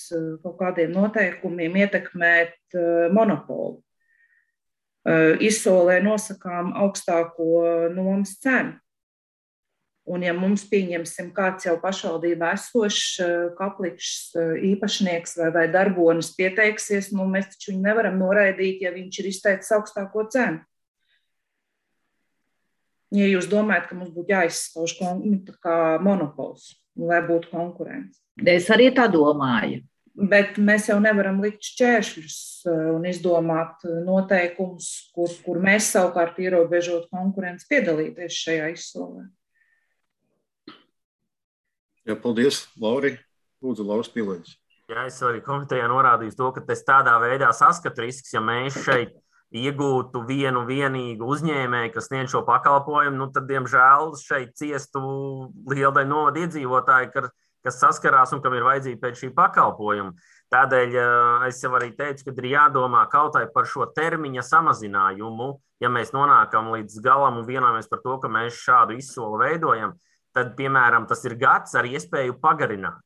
kaut kādiem noteikumiem ietekmēt monopolu. Izsolē nosakām augstāko nomas cenu. Un ja mums pieņemsim kāds jau pašvaldībā esošs kapličs īpašnieks vai, vai darbonis pieteiksies, nu mēs taču viņu nevaram noraidīt, ja viņš ir izteicis augstāko cenu. Ja jūs domājat, ka mums būtu jāizskauž monopols, lai būtu konkurence. Es arī tā domāju. Bet mēs jau nevaram likt šķēršļus un izdomāt noteikumus, kur, kur mēs savukārt ierobežot konkurenci piedalīties šajā izsolē. Jā, paldies, Lauri. Lūdzu, Lauris Pilēģis. Jā, es arī komitejā norādīju to, ka es tādā veidā saskatu risks, ja mēs šeit iegūtu vienu vienīgu uzņēmēju, kas sniedz šo pakalpojumu, nu tad, diemžēl, šeit ciestu liela daļa novada iedzīvotāji, kas saskarās un kam ir vajadzība pēc šī pakalpojuma. Tādēļ es jau arī teicu, ka ir jādomā kaut vai par šo termiņa samazinājumu. Ja mēs nonākam līdz galam un vienojamies par to, ka mēs šādu izsoli veidojam, tad, piemēram, tas ir gads ar iespēju pagarināt.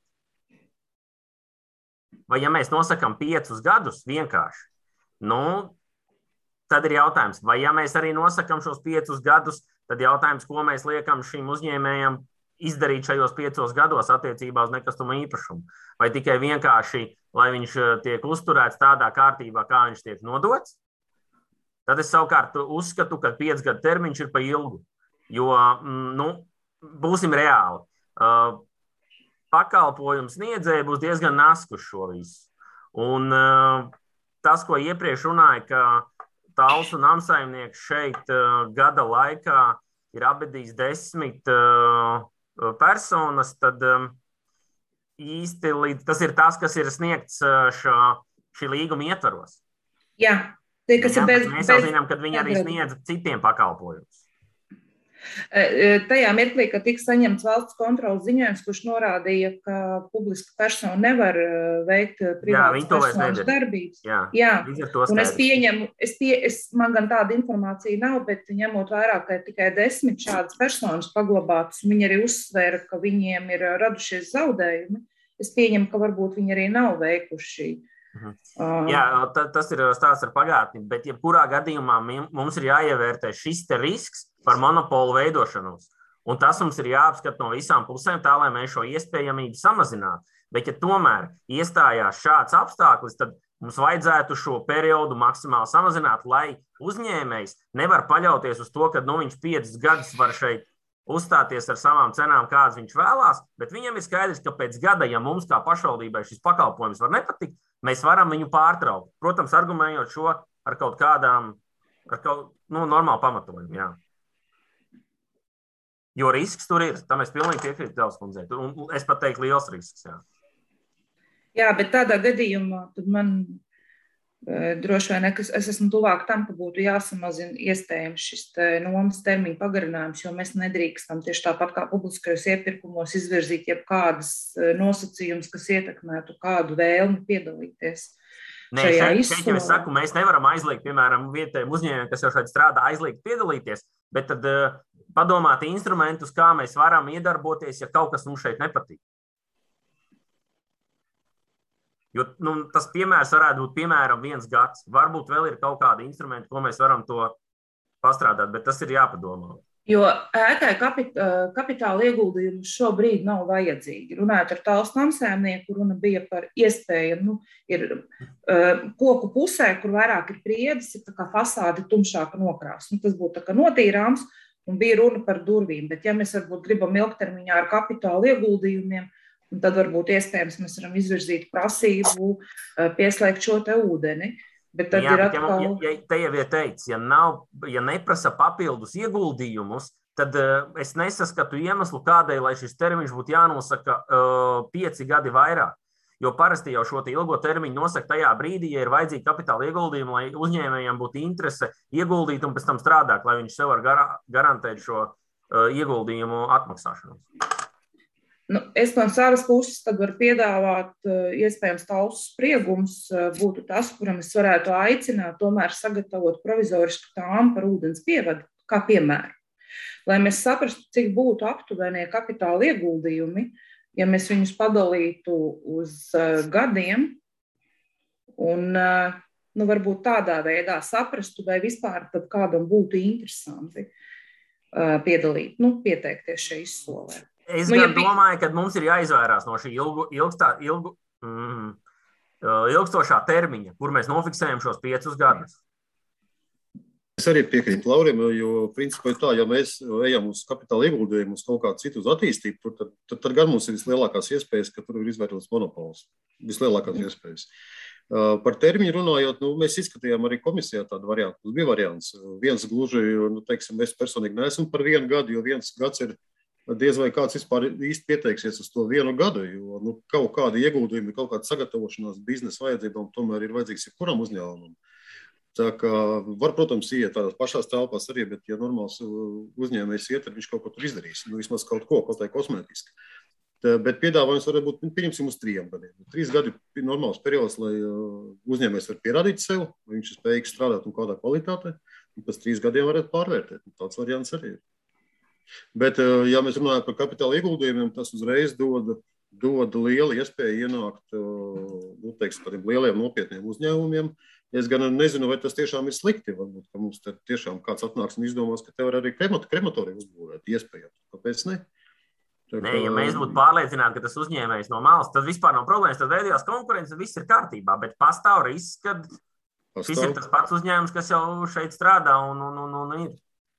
Vai ja mēs nosakam piecus gadus vienkārši, nu, tad ir jautājums, vai ja mēs arī nosakam šos piecus gadus, tad jautājums, ko mēs liekam šim uzņēmējam izdarīt šajos piecos gados attiecībā uz nekustamo īpašumu. Vai tikai vienkārši, lai viņš tiek uzturēts tādā kārtībā, kā viņš tiek nodots, tad es savukārt uzskatu, ka piecu gadu termiņš ir pa ilgu. Jo, nu, būsim reāli. Pakalpojums sniedzēji būs diezgan nasku šo visu. Un tas, ko iepriekš runāja, ka Talsu namsaimnieks šeit uh, gada laikā ir apbedījis desmit uh, personas, tad um, īsti līdz, tas ir tas, kas ir sniegts uh, šā, šī līguma ietvaros. Jā, tie, kas Jā, ir bez... Mēs jau zinām, ka viņi arī sniedz citiem pakalpojumus. Tajā mirklī, kad tika saņemts valsts kontrolas ziņojums, kurš norādīja, ka publiska persona nevar veikt privātas personas darbības. Jā, Jā. Un es pieņemu, es pie, es, man gan tāda informācija nav, bet ņemot vairāk, ka tikai desmit šādas personas paglabātas, un viņi arī uzsvēra, ka viņiem ir radušies zaudējumi, es pieņemu, ka varbūt viņi arī nav veikuši. Mhm. Uh, Jā, tas ir stāsts ar pagātni, bet jebkurā gadījumā mums ir jāievērtē šis te risks par monopolu veidošanos. Un tas mums ir jāapskata no visām pusēm tā, lai mēs šo iespējamību samazinātu. Bet, ja tomēr iestājās šāds apstākļus, tad mums vajadzētu šo periodu maksimāli samazināt, lai uzņēmējs nevar paļauties uz to, ka nu, viņš piecus gadus var šeit uzstāties ar savām cenām, kādas viņš vēlās, bet viņam ir skaidrs, ka pēc gada, ja mums kā pašvaldībai šis pakalpojums var nepatikt, mēs varam viņu pārtraukt. Protams, argumentējot šo ar kaut kādām, ar kaut, nu, normālu pamatojumu, jā. Jo risks tur ir, tam es pilnīgi piekrītu Tevs kundzei, un es pat teiktu liels risks, jā. Jā, bet tādā gadījumā tad man droši vien, ka es esmu tuvāk tam, ka būtu jāsamazina iespējams šis te nomas termiņa pagarinājums, jo mēs nedrīkstam tieši tāpat kā publiskajos iepirkumos izvirzīt jebkādas nosacījumus, kas ietekmētu kādu vēlmi piedalīties. Nē, šeit, šeit jau es saku, mēs nevaram aizliegt, piemēram, vietējiem uzņēmējiem, kas jau šeit strādā, aizliegt piedalīties, bet tad uh, padomāt instrumentus, kā mēs varam iedarboties, ja kaut kas mums šeit nepatīk. Jo nu, tas piemērs varētu būt piemēram viens gads. Varbūt vēl ir kaut kādi instrumenti, ko mēs varam to pastrādāt, bet tas ir jāpadomā. Jo ēkai kapit, kapitāla ieguldījumi šobrīd nav vajadzīgi. Runājot ar Talsu namsēmnieku, runa bija par iespēju, nu, ir uh, koku pusē, kur vairāk ir priedes, ir tā kā fasāde tumšāka nokrāsa. Nu, tas būtu tā kā notīrāms un bija runa par durvīm. Bet ja mēs varbūt gribam ilgtermiņā ar kapitāla ieguldījumiem, un tad varbūt iespējams mēs varam izvirzīt prasību pieslēgt šo te ūdeni. Bet tad jā, ir bet atkal... ja, ja, te jau ir teikts, ja, nav, ja neprasa papildus ieguldījumus, tad uh, es nesaskatu iemeslu kādai, lai šis termiņš būtu jānosaka uh, pieci gadi vairāk. Jo parasti jau šo te ilgo termiņu nosaka tajā brīdī, ja ir vajadzīgi kapitāla ieguldījumi, lai uzņēmējiem būtu interese ieguldīt un pēc tam strādāt, lai viņš sev var gar garantēt šo uh, ieguldījumu atmaksāšanu. Nu, es no savas puses tad varu piedāvāt, iespējams, Talsu spriegums būtu tas, kuram es varētu aicināt tomēr sagatavot provizorisku tāmu par ūdens pievadu, kā piemēru. Lai mēs saprastu, cik būtu aptuvenie kapitāla ieguldījumi, ja mēs viņus padalītu uz gadiem un nu, varbūt tādā veidā saprastu, vai vispār tad kādam būtu interesanti piedalīt, nu, pieteikties šai izsolē. Es nu, gan ja... domāju, ka mums ir jāizvairās no šī ilgu, ilgstā, ilgu, mm, ilgstošā termiņa, kur mēs nofiksējam šos piecus gadus. Es arī piekrītu Laurim, jo principā ir tā, ja mēs ejam uz kapitāla ieguldījumu, uz kaut kādu citu uz attīstību, tad, tad, tad gan mums ir vislielākās iespējas, ka tur ir izveidots monopols. Vislielākās mm. iespējas. Par termiņu runājot, nu, mēs izskatījām arī komisijā tādu variantu. Mums bija variants. Viens gluži, nu, teiksim, es personīgi neesmu par vienu gadu, jo viens gads ir diez vai kāds vispār īsti pieteiksies uz to vienu gadu, jo nu, kaut kāda ieguldījuma, kaut kāda sagatavošanās biznesa vajadzībām tomēr ir vajadzīgs jebkuram uzņēmumam. Tā kā var, protams, iet tādās pašās telpās arī, bet ja normāls uzņēmējs iet, tad viņš kaut ko tur izdarīs, nu vismaz kaut ko, kaut kā kosmētiski. Tā, bet piedāvājums var būt, pieņemsim uz trījiem gadiem. Trīs gadi ir normāls periods, lai uzņēmējs var pierādīt sev, vai viņš ir spējīgs strādāt un kādā kvalitātē, un pēc trīs gadiem varētu pārvērtēt. Tāds variants arī ir. Bet, ja mēs runājam par kapitāla ieguldījumiem, tas uzreiz dod, dod lielu iespēju ienākt, nu, teiksim, tādiem lieliem nopietniem uzņēmumiem. Es gan nezinu, vai tas tiešām ir slikti. Varbūt, ka mums te tiešām kāds atnāks un izdomās, ka te var arī krematoriju uzbūvēt, iespējams. Kāpēc ne? Tā, Nē, ja mēs būtu pārliecināti, ka tas uzņēmējs no malas, tad vispār nav problēmas, tad veidojās konkurence, viss ir kārtībā, bet pastāv risks, ka pastāv. Šis ir tas pats uzņēmums, kas jau šeit strādā un, un, un, un ir.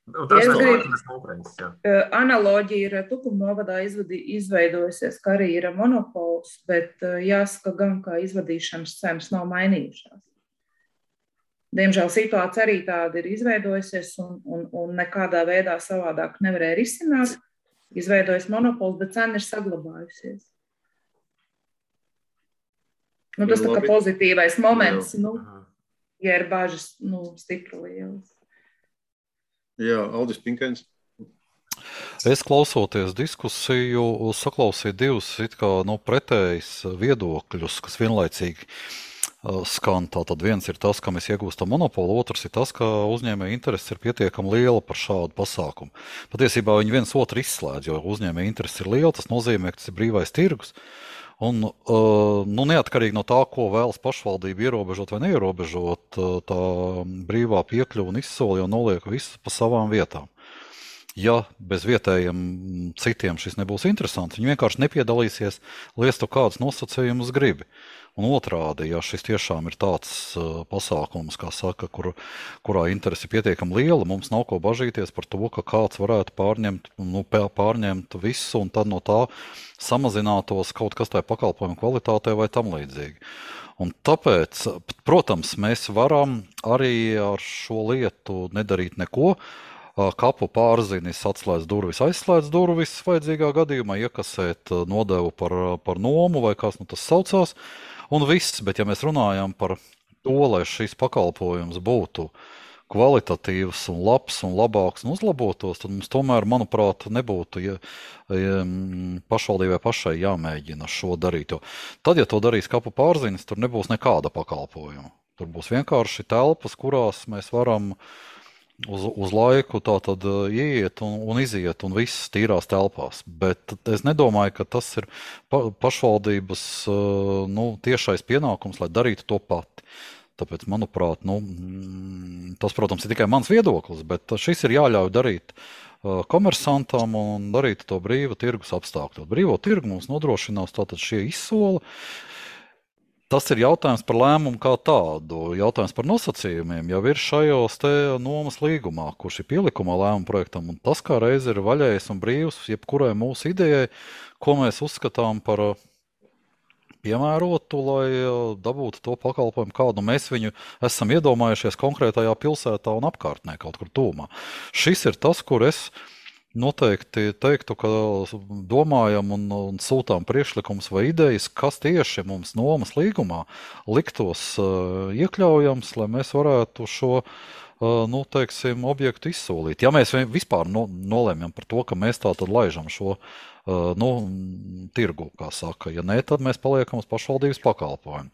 Tas ja ir analoģija ir Tukuma novadā izveidojusies, ka arī ir monopols, bet jāsaka gan, ka izvadīšanas cenas nav mainījušās. Diemžēl situācija arī tāda ir izveidojusies un, un, un nekādā veidā savādāk nevarēja risināt. Izveidojas monopols, bet cena ir saglabājusies. Nu, tas tā kā pozitīvais moments, nu, ja ir bāžas, nu, stipri lielas. Jā, Aldis Pinkens. Es klausoties diskusiju, saklausīju divus it kā nu, pretējus viedokļus, kas vienlaicīgi uh, skan. Tātad viens ir tas, ka mēs iegūstam monopolu, otrs ir tas, ka uzņēmēja interese ir pietiekami liela par šādu pasākumu. Patiesībā viņi viens otru izslēdz, jo uzņēmēja interese ir liela, tas nozīmē, ka tas ir brīvais tirgus. Un, uh, nu, neatkarīgi no tā, ko vēlas pašvaldība ierobežot vai neierobežot, tā brīvā piekļuva un izsoli jau noliek visu pa savām vietām. ja bez vietējiem citiem šis nebūs interesants, viņi vienkārši nepiedalīsies, lai es to kādus nosacījumus gribi. Un otrādi, ja šis tiešām ir tāds uh, pasākums, kā saka, kur, kurā interesi pietiekami liela, mums nav ko bažīties par to, ka kāds varētu pārņemt, nu, pārņemt visu un tad no tā samazinātos kaut kas tai pakalpojumu kvalitātei vai tam līdzīgi. Un tāpēc, protams, mēs varam arī ar šo lietu nedarīt neko. Kapu pārzinis atslēdz durvis, aizslēdz durvis vajadzīgā gadījumā, iekasēt nodevu par, par nomu vai kas nu tas saucās. Un viss, bet ja mēs runājam par to, lai šis pakalpojums būtu kvalitatīvs un labs un labāks un uzlabotos, tad mums tomēr, manuprāt, nebūtu ja, ja, pašvaldībai pašai jāmēģina šo darīt. Jo tad, ja to darīs kapu pārzinis, tur nebūs nekāda pakalpojuma. Tur būs vienkārši telpas, kurās mēs varam uz, uz laiku tā tad ieiet un, un iziet un viss tīrās telpās. Bet es nedomāju, ka tas ir pa, pašvaldības nu, tiešais pienākums, lai darītu to pati. Tāpēc, manuprāt, nu, tas, protams, ir tikai mans viedoklis, bet šis ir jāļauj darīt komersantam un darīt to brīva tirgus apstākļos. Brīvo tirgu mums nodrošinās tātad šie izsoli. Tas ir jautājums par lēmumu kā tādu. Jautājums par nosacījumiem jau ir šajos te nomas līgumā, kurš ir pielikumā lēmuma projektam, un tas kā reiz ir vaļējs un brīvs jebkurai mūsu idejai, ko mēs uzskatām par piemērotu, lai dabūtu to pakalpojumu, kādu mēs viņu esam iedomājušies konkrētajā pilsētā un apkārtnē, kaut kur tūmā. Šis ir tas, kur es noteikti teiktu, ka domājam un, un sūtām priekšlikums vai idejas, kas tieši mums nomas līgumā liktos uh, iekļaujams, lai mēs varētu šo uh, nu, teiksim, objektu izsolīt. Ja mēs vispār no, nolēmjam par to, ka mēs tā tad laižam šo Uh, nu, tirgu, kā saka. Ja nē, tad mēs paliekam uz pašvaldības pakalpojumu.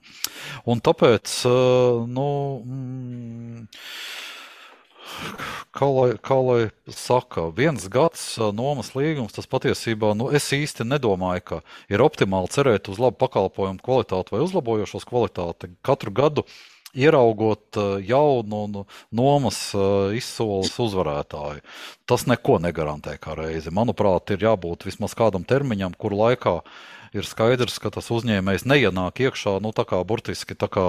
Un tāpēc, uh, nu, mm, kā lai, kā lai saka, viens gads uh, nomas līgums, tas patiesībā, nu, es īsti nedomāju, ka ir optimāli cerēt uz labu pakalpojumu kvalitāti vai uzlabojošos kvalitāti. Katru gadu ieraugot jaunu nomas izsoles uzvarētāju. Tas neko negarantē kā reizi. Manuprāt, ir jābūt vismaz kādam termiņam, kuru laikā ir skaidrs, ka tas uzņēmējs neienāk iekšā, nu tā kā burtiski tā kā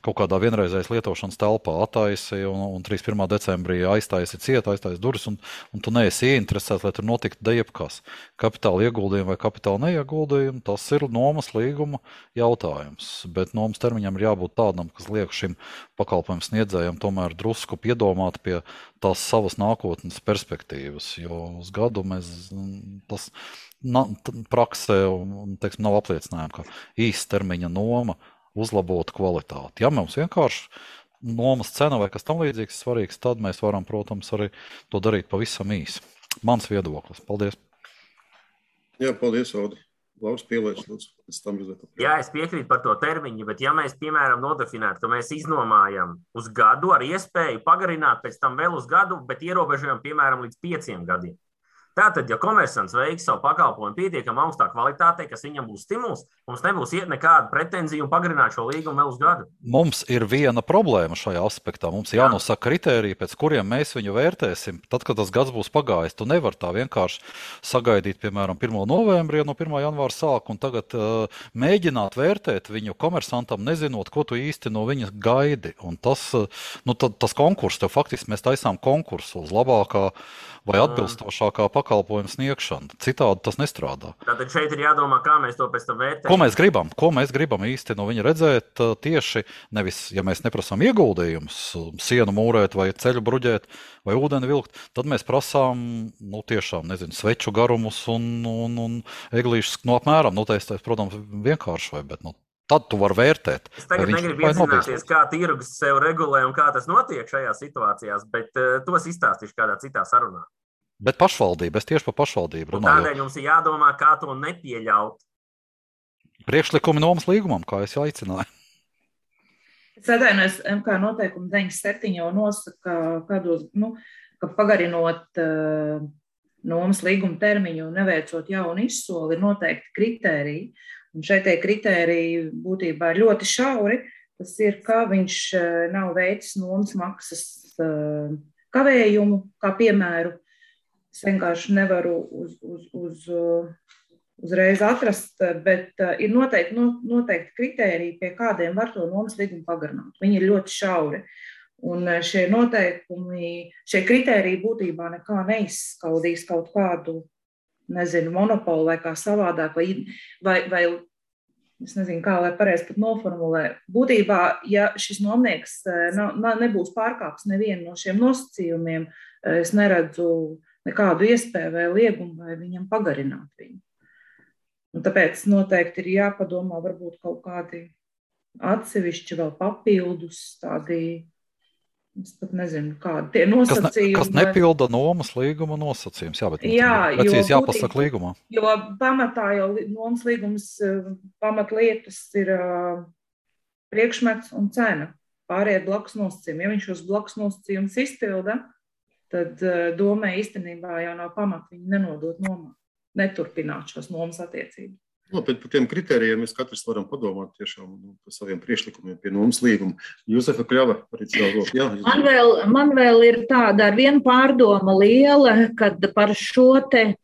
kaut kādā vienreizējas lietošanas telpā attaisi un, un trīsdesmit pirmā decembrī aiztaisi ciet, aiztaisi durvis un, un tu neesi ieinteresēts, lai tur notiktu dejebkas. Kapitāla ieguldījumi vai kapitāla neieguldījumi, tas ir nomas līguma jautājums. Bet nomas termiņam ir jābūt tādam, kas liek šim pakalpojumu sniedzējam tomēr drusku piedomāt pie tās savas nākotnes perspektīvas, jo uz gadu mēs tas na, praksē un, teiksim, nav apliecinājumi, ka īstermiņa noma uzlabotu kvalitāti. Ja mums vienkārši nomas cena vai kas tam līdzīgs svarīgs, tad mēs varam, protams, arī to darīt pavisam īsi. Mans viedoklis. Paldies. Jā, paldies, Audi. Lauris pielēdz, lūdzu. Jā, es piekrītu par to termiņu, bet ja mēs, piemēram, nodefinētu, ka mēs iznomājam uz gadu ar iespēju pagarināt pēc tam vēl uz gadu, bet ierobežojam, piemēram, līdz pieciem gadiem. Tātad, ja komersants veiks savu pakalpojumu pietiekami augstā kvalitātei, kas viņam būs stimuls, mums nebūs iet nekāda pretenzija un pagarināt šo līgumu vēl uz gadu. Mums ir viena problēma šajā aspektā. Mums ir jānosaka kritēriji, pēc kuriem mēs viņu vērtēsim. Tad, kad tas gads būs pagājis, tu nevar tā vienkārši sagaidīt, piemēram, pirmo novembrī, no pirmā janvāra sāk, un tagad uh, mēģināt vērtēt viņu komersantam, nezinot, ko tu īsti no viņa gaidi. Un tas, uh, nu, tad, tas konkurss, tev faktiski mēs taisām konkursu uz labākā vai atbilstošākā pakalpojuma sniegšana. Citādi tas nestrādā. Tātad šeit ir jādomā, kā mēs to pēc tam vērtējam. Ko mēs gribam? Ko mēs gribam īsti no viņa redzēt tieši, nevis, ja mēs neprasām ieguldījumus, sienu mūrēt vai ceļu bruģēt vai ūdeni vilkt, tad mēs prasām, nu tiešām, nezinu, sveču garumus un, un, un eglīšus, nu apmēram, nu tas, protams, vienkārši vai, bet, nu, tad tu vari vērtēt. Es tagad negribu iedzināties, kā tirgus sev regulē un kā tas notiek šajās situācijās, bet uh, tos izstāstīšu kādā citā sarunā. Bet pašvaldība, es tieši par pašvaldību runāju. Tādēļ jums ir jādomā, kā to nepieļaut. Priekšlikumi nomas līgumam, kā es aicināju. Es atvainojos, M K noteikumi deviņdesmit septiņi jau nosaka, kādos, nu, ka pagarinot uh, nomas līguma termiņu un neveicot jaunu izsoli, ir noteikti kritēriji. Un šeit tie kritēriji būtībā ir ļoti šauri. Tas ir, ka viņš nav veicis nomas maksas kavējumu, kā piemēru. Es vienkārši nevaru uz, uz, uz, uzreiz atrast, bet ir noteikti, noteikti kritēriji, pie kādiem var to nomas līgumu pagarināt. Viņi ir ļoti šauri. Un šie noteikumi, šie kritēriji būtībā nekā neizskaudīs kaut kādu, nezinu, monopolu vai kā savādāk, vai, vai, vai es nezinu, kā lai pareizi pat noformulē. Būtībā, ja šis nomnieks nebūs pārkāps nevienu no šiem nosacījumiem, es neredzu nekādu iespēju vai liegumu vai viņam pagarināt viņu. Un tāpēc noteikti ir jāpadomā varbūt kaut kādi atsevišķi vēl papildus tādi, es pat nezinu, kādi tie nosacījumi. Kas, ne, kas nepilda nomas līguma nosacījums, jā, bet jā, precīzi jāpasaka līgumā. Jo pamatā jau nomas līgums pamatlietas ir priekšmets un cena. Pārējie blakus nosacījumi. Ja viņš šos blakus nosacījumus izpilda, tad domē īstenībā jau nav pamata viņu nenodot nomā, neturpināt šos nomas attiecības. No, bet par tiem kritērijiem mēs katrs varam padomāt tiešām par saviem priekšlikumiem pie nomas līguma. Jūsefa Kļava, arī cilvēku. Jā, man, vēl, man vēl ir tāda ar vienu pārdoma liela, kad par šo te,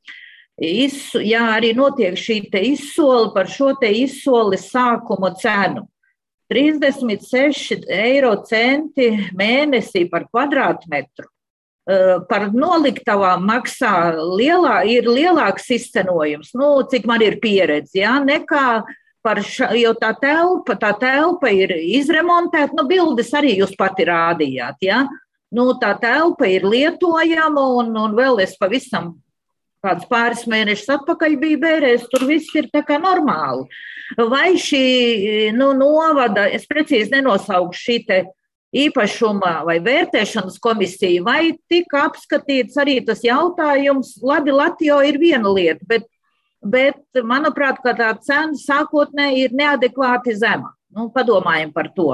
izsu, jā, arī notiek šī te izsoli, par šo te izsoli sākuma cenu. trīsdesmit seši eiro centi mēnesī par kvadrātmetru. Par noliktavām maksā lielā, ir lielāks izcenojums, nu, cik man ir pieredze, ja, nekā par ša, jo tā telpa, tā telpa ir izremontēta, nu, bildes arī jūs pati rādījāt, ja, nu, tā telpa ir lietojama un, un vēl es pavisam kāds pāris mēnešus atpakaļ biju bērēs, tur viss ir tā kā normāli. Vai šī, nu, novada, es precīzi nenosaukšu šī te īpašuma vai vērtēšanas komisija, vai tika apskatīts arī tas jautājums, labi, Latjo ir viena lieta, bet, bet manuprāt, ka tā cena sākotnē ir neadekvāti zema. Nu, padomājam par to.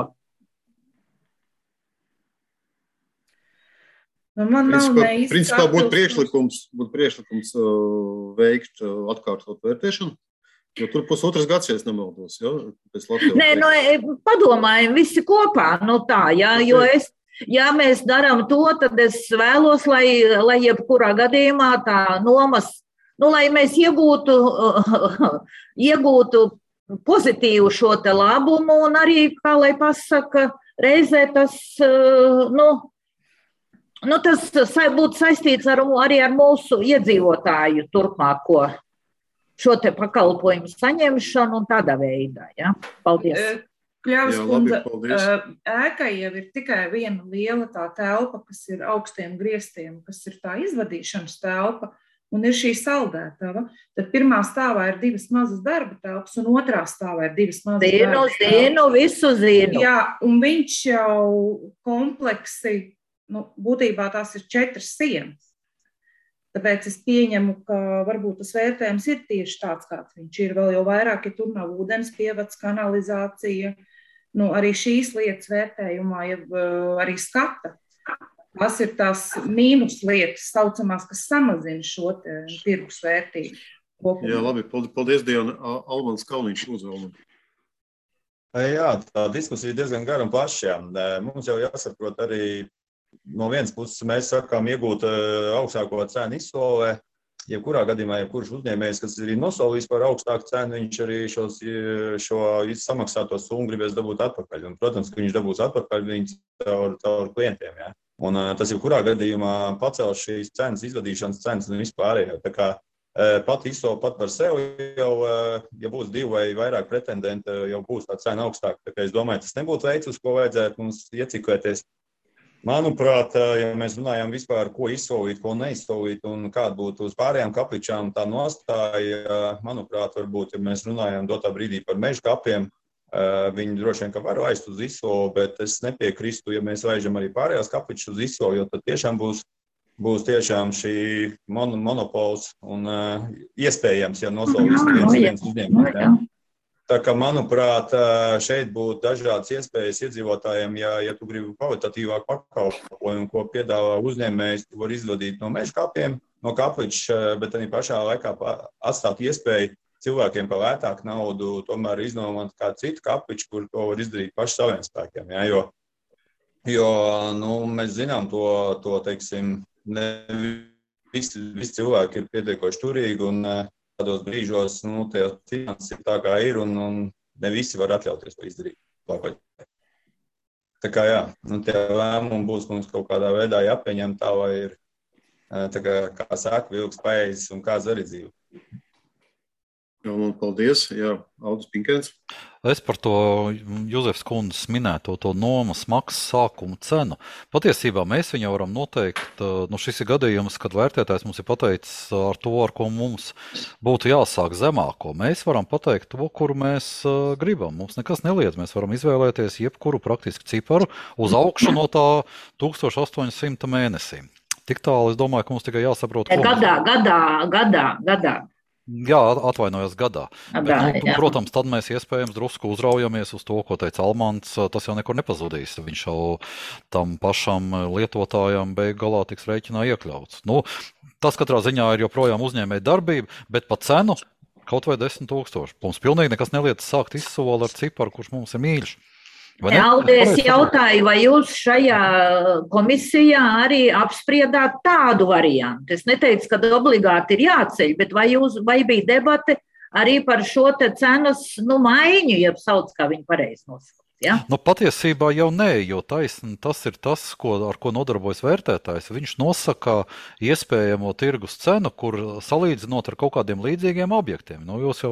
Nu, man nav neizskatums. Principā būtu priekšlikums, būtu priekšlikums uh, veikt uh, atkārtot vērtēšanu. Jo tur pusotras gads, ja es nemaldos, ja? Pēc Latvijas. Nē, nu, padomājam visi kopā, nu tā, ja, jo es, ja mēs darām to, tad es vēlos, lai, lai jebkurā gadījumā tā nomas, nu, lai mēs iegūtu, iegūtu pozitīvu šo te labumu un arī, kā lai pasaka, reizē tas, nu, nu tas būtu saistīts ar, arī ar mūsu iedzīvotāju turpmāko šo te pakalpojumu saņemšanu un tādā veidā. Ja? Paldies. Kļavas kundze, ēkai jau ir tikai viena liela tā telpa, kas ir augstiem griestiem, kas ir tā izvadīšanas telpa, un ir šī saldētava. Tad pirmā stāvā ir divas mazas darba telpas, un otrā stāvā ir divas mazas zinu, darba telpas. Zinu, visu zinu. Jā, un viņš jau kompleksi, nu, būtībā tās ir četras sienas. Tāpēc es pieņemu, ka varbūt tas vērtējums ir tieši tāds, kāds viņš ir. Vēl jau vairāk, ja tur nav ūdens pievads, kanalizācija, nu, arī šīs lietas vērtējumā jau arī skata. Tas ir tās mīnus lietas, saucamās, kas samazina šo tirgus vērtību. Kopumā. Jā, labi, paldies, Diana. Almans Kalniņš uzvēl. Jā, tā diskusija diezgan gara un plaša. Mums jau jāsaprot arī, no vienas puses mēs sakām iegūt augstāko cenu izsolē, jebkurā gadījumā, jebkurš uzņēmējs, kas ir nosolījis par augstāku cenu, viņš arī šos, šo samaksāto summu gribēs dabūt atpakaļ. Un, protams, ka viņš dabūs atpakaļ viņus caur, caur klientiem. Ja? Un tas jebkurā gadījumā pacels šīs cenas, izvadīšanas cenas un vispārējo. Tā kā pat izsola pat par sevi jau, ja būs divi vai vairāk pretendenti, jau būs tā cena augstāka. Tā kā es domāju, tas nebūtu veids, uz ko vajadzētu mums ieciklēties. Manuprāt, ja mēs runājam vispār, ko izsolīt, ko neizsolīt un kāda būtu uz pārējām kapličām tā nostāja, manuprāt, varbūt, ja mēs runājam dotā brīdī par meža kapiem, viņi droši vien, ka var laist uz izsoli, bet es nepiekristu, ja mēs laižam arī pārējās kapličas uz izsoli, jo tad tiešām būs, būs tiešām šī mon monopols un uh, iespējams, ja nosolīs viens, viens uzņēmums. Ja? Tā kā, manuprāt, šeit būtu dažādas iespējas iedzīvotājiem, ja, ja tu gribi kvalitatīvāk pakalpojumu, ko piedāvā uzņēmējs, tu var izvadīt no meža kapiem, no kapliča, bet arī pašā laikā atstāt iespēju cilvēkiem par lētāku naudu tomēr iznomāt kādu citu kapliču, kur to var izdarīt paši saviem spēkiem. Ja? Jo, jo nu, mēs zinām to, to teiksim, ne visi, visi cilvēki ir pietiekoši turīgi un tādos brīžos, nu, tie finanses ir tā kā ir un, un ne visi var atļauties to izdarīt. Tā kā jā, nu, tie lēmumi būs mums kaut kādā veidā jāpieņem tā, vai ir, tā kā, kā saka, vilks paēdis un kāds arī dzīvo. Jā, un paldies. Jā, Aldis Pinkēns. Es par to Juzefs kundzes minēto to nomas maksas sākumu cenu. Patiesībā mēs viņu varam noteikt, nu šis ir gadījums, kad vērtētājs mums ir pateicis ar to, ar ko mums būtu jāsāk zemāko. Mēs varam pateikt to, kuru mēs gribam. Mums nekas neliedz. Mēs varam izvēlēties jebkuru praktiski ciparu uz augšu no tā tūkstoš astoņi simti mēnesī. Tik tālu es domāju, ka mums tikai jāsaprot, ko gadā, gadā, gadā, gadā. Jā, atvainojos gadā. Bet, nu, protams, tad mēs iespējams drusku uzraujamies uz to, ko teica Almants. Tas jau nekur nepazudīs. Viņš jau tam pašam lietotājam beig galā tiks rēķinā iekļauts. Nu, tas katrā ziņā ir joprojām uzņēmēja darbība, bet pa cenu kaut vai desmit tūkstoši. Mums pilnīgi nekas neliec sākt izsoli ar ciparu, kurš mums ir mīļš. Aldi, es jautāju, vai jūs šajā komisijā arī apspriedāt tādu variantu? Es neteicu, ka obligāti ir jāceļ, bet vai, jūs, vai bija debate arī par šo te cenas nu, maiņu, ja sauc, kā viņi pareizi nosauc? Ja? Nu, patiesībā jau nē, jo taisn, tas ir tas, ko, ar ko nodarbojas vērtētājs. Viņš nosaka iespējamo tirgus cenu, kur salīdzinot ar kaut kādiem līdzīgiem objektiem. Nu, jūs jau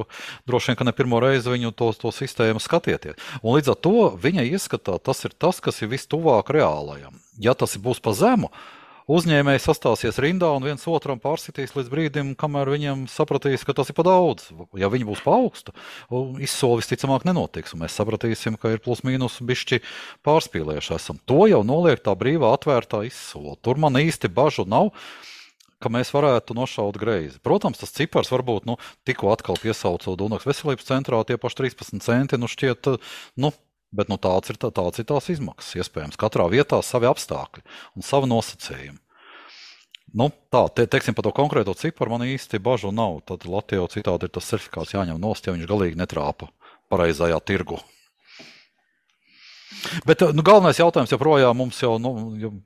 droši vien, ka ne pirmo reizi viņu to, to sistēmu skatieties. Un līdz ar to viņa ieskatā tas ir tas, kas ir vistuvāk reālajam. Ja tas būs pa zemu, uzņēmēji sastāsies rindā un viens otram pārsitīs līdz brīdim, kamēr viņiem sapratīs, ka tas ir pa daudz. Ja viņi būs pa augstu, izsoli visticamāk nenotiks, un mēs sapratīsim, ka ir plus mīnus bišķi pārspīlējuši esam. To jau noliek tā brīvā atvērtā izsoli. Tur man īsti bažu nav, ka mēs varētu nošaut greizi. Protams, tas cipars varbūt, nu, tikko atkal piesaucot Dunaks veselības centrā, tie paši trīspadsmit centi, nu šķiet, nu, bet nu, tāds, ir, tāds ir tās izmaksas, iespējams. Katrā vietā savi apstākļi un savi nosacījumi. Nu, tā, te, teiksim, par to konkrēto ciparu man īsti bažu nav. Tad Latvijā citādi ir tas certifikāts jāņem nost, ja viņš galīgi netrāpa pareizajā tirgu. Bet nu, galvenais jautājums joprojām mums jau, nu,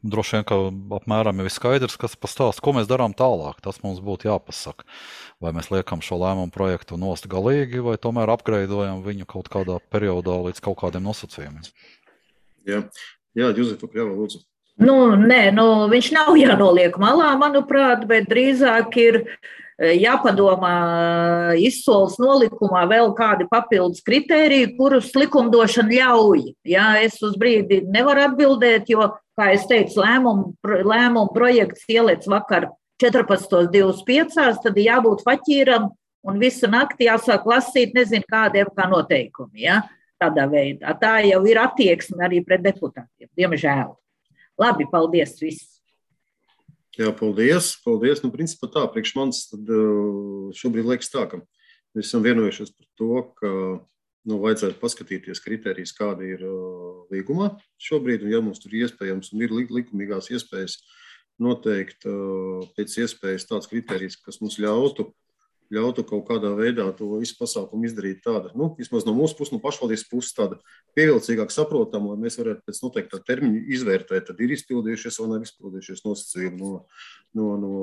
droši vien, ka apmēram jau ir skaidrs, kas pastāst, ko mēs darām tālāk. Tas mums būtu jāpasaka. Vai mēs liekam šo lēmumu projektu nost galīgi, vai tomēr apgreidojam viņu kaut kādā periodā līdz kaut kādiem nosacījumiem. Jā, jā, Juzefa, jā, lūdzu. Nu, nē, nu, viņš nav jānoliek malā, manuprāt, bet drīzāk ir jāpadomā izsoles nolikumā vēl kādi papildus kritēriji, kurus likumdošana ļauj. Jā, es uz brīdi nevaru atbildēt, jo, kā es teicu, lēmumu, lēmumu projekts ieliec vakar četrpadsmit divdesmit pieci, tad jābūt faķīram un visu nakti jāsāk lasīt, nezinu, kādiem kā noteikumi. Ja? Tādā veidā. Tā jau ir attieksme arī pret deputātiem, diemžēl. Labi, paldies viss. Jā, paldies. Paldies. Nu, principā tā, priekš manis tad šobrīd liekas tā, ka mēs esam vienojušies par to, ka nu, vajadzētu paskatīties kritērijas, kāda ir līgumā šobrīd, un ja mums tur iespējams un ir likumīgās iespējas noteikt pēc iespējas tāds kritērijs, kas mums ļautu, ļautu kaut kādā veidā to visu pasākumu izdarīt tāda, nu, vismaz no mūsu puses, no pašvaldības puses tāda pievilcīgāk saprotama, lai mēs varētu pēc noteiktā termiņa izvērtēt, tad ir izpildījušies vai nav izpildījušies nosacījumi no, no, no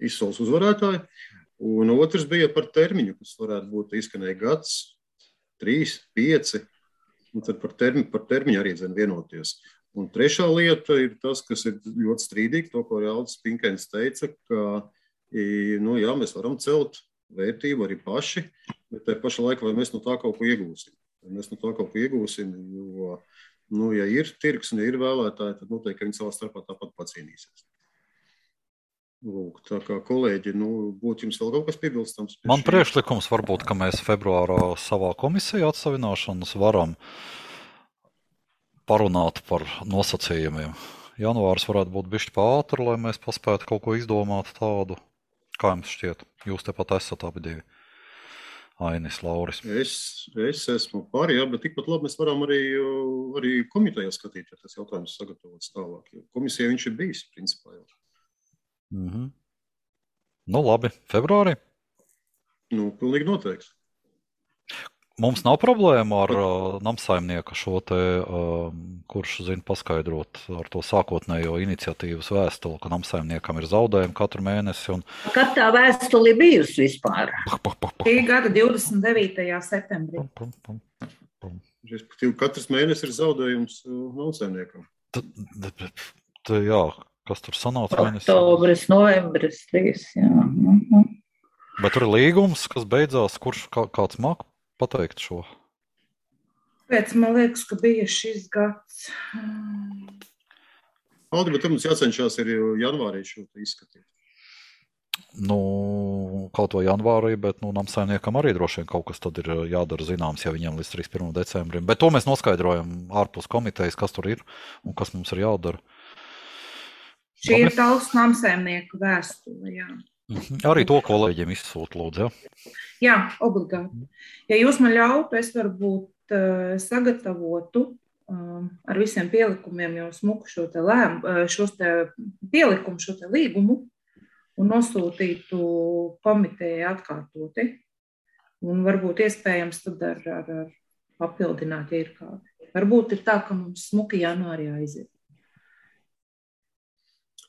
izsoles uzvarētāja. Un otrs bija par termiņu, kas varētu būt izskanēja gads, trīs, pieci, un tad par termiņu, par termiņu arī dzen vienoties. Un trešā lieta ir tas, kas ir ļoti strīdīgi, to, ko Aldis Pinkēns teica, ka nu, jā, mēs varam celt vērtību arī paši, bet tajā pašā laikā vai mēs no tā kaut ko iegūsim. Vai mēs no tā kaut ko iegūsim, jo, nu, ja ir tirgs un ja ir vēlētāji, tad noteikti, ka viņi savā starpā tāpat pacīnīsies. Lūk, tā kā kolēģi, nu, būtu jums vēl kaut kas piebilstams? Man priekšlikums varbūt, ka mēs februārā savā komisijā atsavināšanas varam parunāt par nosacījumiem. Janvārs varētu būt bišķi pātri, lai mēs paspētu kaut ko izdomāt tādu. Kā jums šķiet? Jūs tepat esat abi divi. Ainis, Lauris. Es, es esmu par, jā, bet tikpat labi mēs varam arī, arī komitejā skatīt, ja tas jautājums sagatavots tālāk. Komisija viņš ir bijis, principā jau. Mm-hmm. Nu labi, februārī? Nu, pilnīgi noteikti. Mums nav problēma ar uh, namsaimnieku šo te, uh, kurš zina paskaidrot ar to sākotnējo iniciatīvas vēstuli, ka namsaimniekam ir zaudējumi katru mēnesi. Un... Kad tā vēstuli bijusi vispār? Šī gada divdesmit devītajā septembrī. Pum, pum, pum. Respektīvi, katrs mēnesis ir zaudējums namsaimniekam. T, t, t, jā, kas tur sanāca mēnesis? Oktobris, novembris, trīs, jā. Mhm. Bet tur ir līgums, kas beidzās, kurš kā, kāds māk pateikt šo? Pēc, man liekas, ka bija šis gads. Aldi, bet mums jācenšās ir janvārī šo izskatīt. Nu, kaut vai janvārī, bet nu, namsaimniekam arī droši vien kaut kas tad ir jādara zināms, ja viņam līdz trīsdesmit pirmajam decembrim. Bet to mēs noskaidrojam ārpus komitejas, kas tur ir un kas mums ir jādara. Šī ir Talsu namsaimnieku vēstule, jā. Arī to kolēģiem izsūta, lūdzu, jā? Jā, obligāti. Ja jūs man ļautu, es varbūt uh, sagatavotu uh, ar visiem pielikumiem jau smuku šo te lēmu, uh, šos te pielikumu, šo te līgumu un nosūtītu komitejai atkārtoti. Un varbūt iespējams tad ar, ar, ar papildināt, ja ir kādi. Varbūt ir tā, ka mums smuki janvārī aiziet.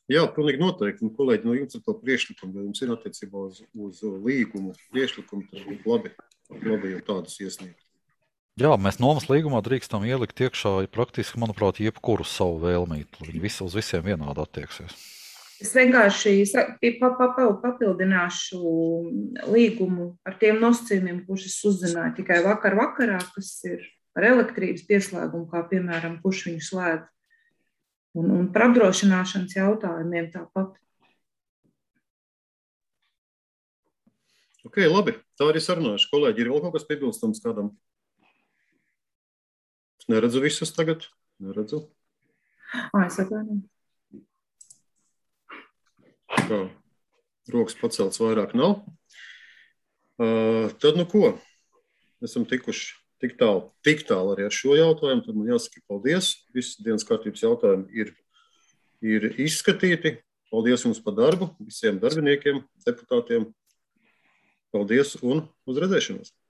Jā, pilnīgi noteikti. Un, kolēģi, no jums ir to priekšlikumu, ja jums ir attiecībā uz, uz līgumu priekšlikumu, tad būtu labi, labi jau tādus iesniegt. Jā, mēs nomas līgumā drīkstam ielikt iekšā praktiski, manuprāt, jebkuru savu vēlmītu. Viņi visi uz visiem vienādi attieksies. Es vienkārši papildināšu līgumu ar tiem nosacījumiem, kurus es uzzināju tikai vakar vakarā, kas ir ar elektrības pieslēgumu, kā piemēram, kurš viņu slēdz. Un, un par apdrošināšanas jautājumiem tāpat. Ok, labi. Tā arī sarunāšu. Kolēģi, ir vēl kaut kas piebilstams kādam? Es neredzu visus tagad. Neredzu. Ā, es atvainoju. Kā? Rokas pacelts vairāk nav. Uh, tad nu ko? Esam tikuši Tik tālu, tik tālu arī ar šo jautājumu, tad man jāsaka paldies. Visi dienas kārtības jautājumi ir, ir izskatīti. Paldies jums par darbu, visiem darbiniekiem, deputātiem. Paldies un uz redzēšanos!